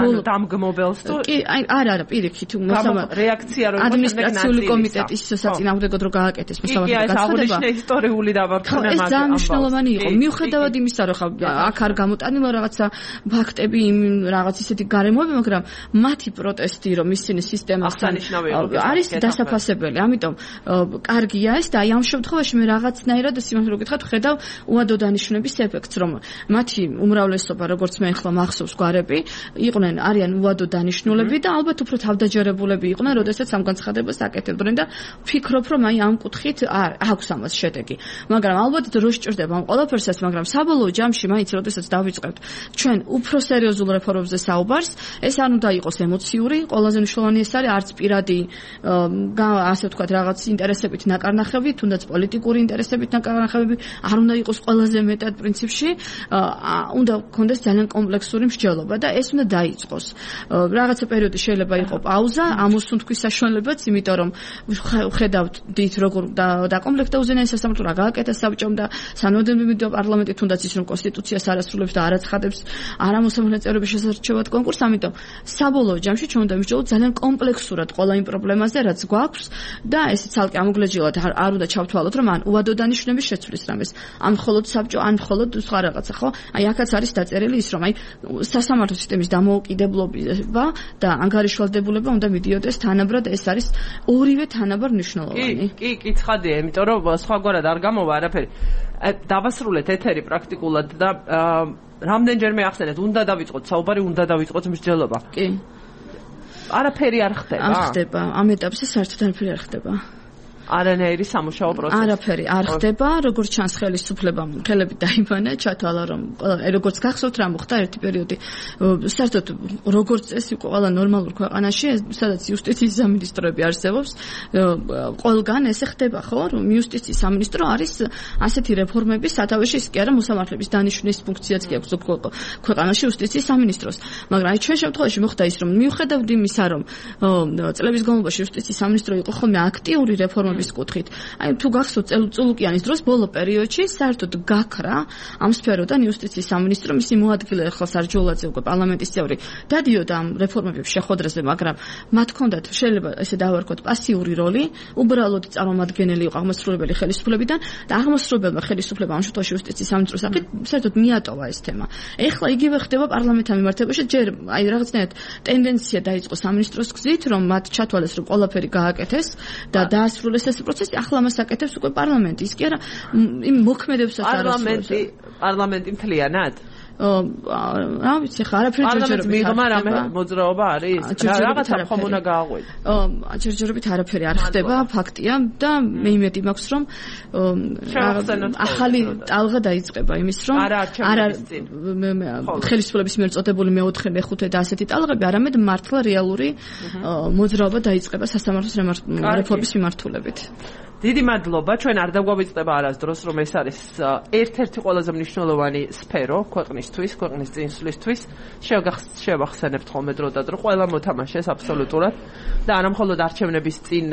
ანუ დამგმობელს თუ კი აი არა არა პირიქით მოსამართლე რეაქცია რო ადმინისტრაციული კომიტეტის საწინააღმდეგოდ რო გააკეთეს მოსამართლე განცხადება ეს ისტორიული დავარქონა ეს ძალიან მნიშვნელოვანი იყო მიუხედავად იმისა რომ აქ არ გამოტანილა რაღაცა ფაქტები იმ რაღაც ისეთი გარემოები მაგრამ მათი პროტესტი რომ ისინი სისტემასთან არის დასაფასებელი ამიტომ კარგია ეს და აი ამ შემთხვევაში მე რაღაცნაირად სიმართლე რო გითხრათ ხედავ უვადო დანიშნების ეფექტს რომ მათი უმრავლესობა როგორც მე ახლა მახსოვს გვარები იყვნენ არიან უვადო დანიშნულები და ალბათ უფრო თავდაჯერებულები იყვნენ როდესაც ამ განცხადებას აკეთებდნენ და ვფიქრობ რომ აი ამ კუთხით აქვს ამას შედეგი მაგრამ ალბათ დრო სჭირდება ამ ყველაფერსაც მაგრამ საბოლოო ჯამში მაინც როდესაც დავიწყებთ ჩვენ უფრო სერიოზულ რეფორმებზე საუბარს ეს არ უნდა იყოს ემოციური ყველაზე მნიშვნელოვანი ეს არის არც პირადი ასე ვთქვათ რაღაც ინტერესებით ნაკარნახები თუნდაც პოლიტიკური ინტერესებით ნაკარნახები არ უნდა იყოს ყველაზე მეტად პრინციპში უნდა გქონდეს ძალიან კომპლექსური მსჯელობა და ეს უნდა დაიწყოს. Რაღაცა პერიოდი შეიძლება იყო პაუზა, ამოსუნთქვის საშუალებაც, იმიტომ რომ ხედავთ დით როგორ დაკომპლექტდა უზენაესი სასამართლო, რა გააკეთა საბჭომ და სანოდემდე პარლამენტი თუნდაც ის რომ კონსტიტუციას არ ასრულებს და არ აცხადებს არამოსამართლე წევრების შესარჩევად კონკურსს, ამიტომ საბოლოო ჯამში ჩვენ უნდა მივჭრილოთ ძალიან კომპლექსურად ყველა იმ პრობლემაზე, რაც გვაქვს და ესე ცალკე ამოგლეჯილად არ უნდა ჩავთვალოთ, რომ ან უადო დანიშნების შეცვლის რამეს, ან მხოლოდ საბჭო, ან მხოლოდ სხვა რაღაცა, ხო? აი აქაც არის დაწერილი ის, რომ აი სასამართლო სისტემის დამოუკიდებლობა და ანგარიშვალდებულება უნდა მიდიოდეს თანაბრად, ეს არის ორივე თანაბარ მნიშვნელოვანი. კი, კი, ცხადია, იმიტომ რომ სხვაგვარად არ გამოვა არაფერი. დავასრულეთ ეთერი პრაქტიკულად და რამდენჯერმე ახსენეთ, უნდა დავიწყოთ საუბარი, უნდა დავიწყოთ მსჯელობა. კი. არაფერი არ ხდება. არ ხდება, ამ ეტაპზე საერთოდ არაფერი არ ხდება. არანაირი სამუშაო პროცესი. არაფერი არ ხდება, როგორც ჩანს ხელისუფლებამ, ხელები დაიბანა, ჩათვალა რომ როგორც გახსოვთ რა მოხდა ერთი პერიოდი. საერთოდ როგორც წესი ყველა ნორმალურ ქვეყანაში, სადაც იუსტიციის სამინისტროები არსებობს, ყველგან ესე ხდება, ხო, რომ იუსტიციის სამინისტრო არის ასეთი რეფორმების სათავეში, ის კი არა მოსამართლეების დანიშვნის ფუნქციაც კი აქვს ქვეყანაში იუსტიციის სამინისტროს. მაგრამ აი ჩვენ შემთხვევაში მოხდა ის, რომ მიუხედავად იმისა, რომ წლების განმავლობაში იუსტიციის სამინისტრო იყო ხოლმე აქტიური რეფორმების კუთხით. აი თუ გახსოვთ წელუწულუკიანის დროს ბოლო პერიოდში საერთოდ გაქრა ამ სფეროდან იუსტიციის სამინისტრო, მისი მოადგილე ახლა სარჯულაძე უკვე პარლამენტის წევრი დადიოდა ამ რეფორმების შეხვედრაზე, მაგრამ მათ ჰქონდათ შეიძლება ესე დავარქოთ პასიური როლი, უბრალოდ წარმომადგენელი იყო აღმასრულებელი ხელისუფლებიდან და აღმასრულებელმა ხელისუფლებამ ამ შემთხვევაში იუსტიციის სამინისტროს სახით საერთოდ მიატოვა ეს თემა. ეხლა იგივე ხდება პარლამენტთან მიმართებაში, ჯერ აი რაღაცნაირად ტენდენცია დაიწყო სამინისტროს გზით, რომ მათ ჩათვალეს, რომ ყველაფერი გააკეთეს და დაასრულეს ეს პროცესი, ახლა მას აკეთებს უკვე პარლამენტი. ის კი არა იმ მოქმედებს პარლამენტი პარლამენტი მთლიანად რა ვიცი ხა არაფერი ჯერჯერობით მიღმა რამე მოძრაობა არის რაღაცა ხომ უნდა გააღვიძო. ჯერჯერობით არაფერი არ ხდება, ფაქტია და მე იმედი მაქვს რომ ახალი ტალღა დაიწყება იმის რომ არა ხელისუფლების მიერ წოდებული მეოთხე, მეხუთე და ასეთი ტალღები, არამედ მართლა რეალური მოძრაობა დაიწყება სასამართლოს რეფორმის მიმართულებით. დიდი მადლობა, ჩვენ არ დაგვავიწყდება არასდროს, რომ ეს არის ერთ-ერთი ყველაზე მნიშვნელოვანი სფერო ქვეყნისთვის, ქვეყნის წინსვლისთვის. შევახსენებთ ხოლმე დრო და დრო, ყველა მოთამაშეს აბსოლუტურად და არა მხოლოდ არჩევნების წინ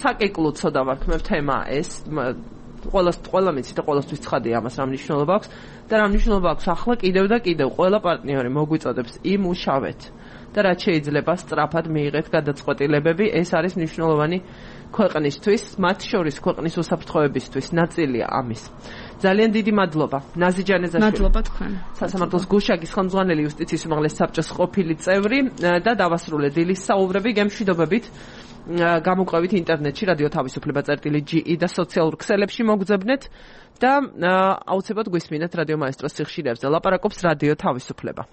საკეკლუცო დავარქმევ თემა ეს, ყველას ყველა მეცი და ყველასთვის ცხადია ამას რა მნიშვნელობა აქვს და რა მნიშვნელობა აქვს ახლა კიდევ და კიდევ ყველა პარტნიორი მოგვიწოდებს იმუშავეთ და რაც შეიძლება სწრაფად მიიღეთ გადაწყვეტილებები, ეს არის მნიშვნელოვანი ქვეყნისთვის, მათ შორის ქვეყნის უსაფრთხოებისთვის ნაწილია ამის. ძალიან დიდი მადლობა. ნაზი ჯანეზაშვილი. მადლობა თქვენ. სასამართლოს გუშაგის ხელმძღვანელი იუსტიციის უმაღლეს საბჭოს ყოფილი წევრი და დავასრულე დილის საუბრები გემშვიდობებით. გამოყვებით ინტერნეტში რადიო თავისუფლება წერტილი ჯი ი და სოციალურ ქსელებში მოგძებნეთ და აუცილებლად გვისმინეთ რადიო მაესტროს სიხშირეებზე. ლაპარაკობს რადიო თავისუფლება.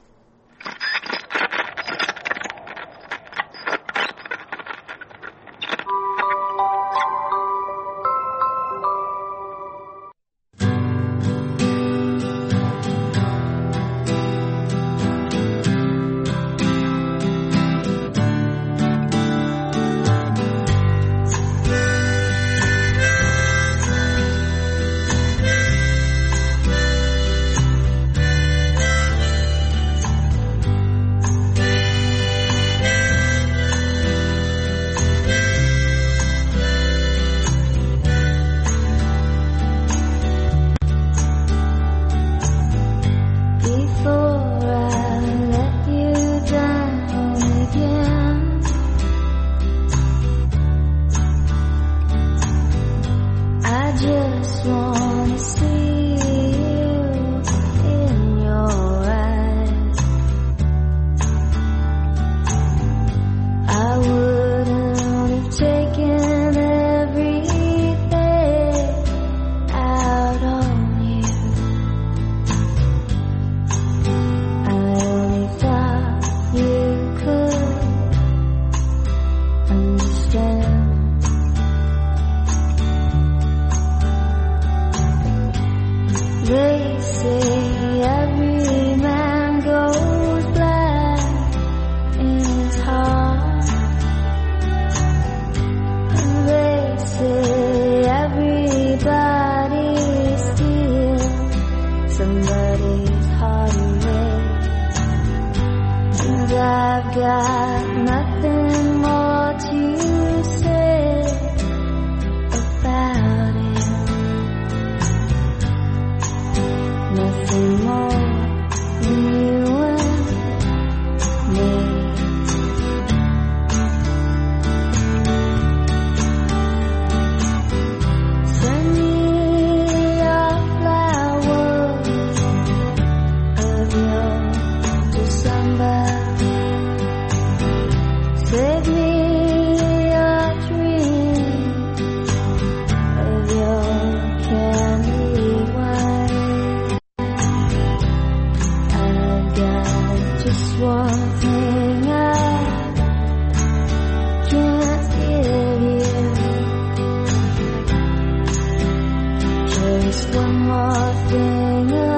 one more thing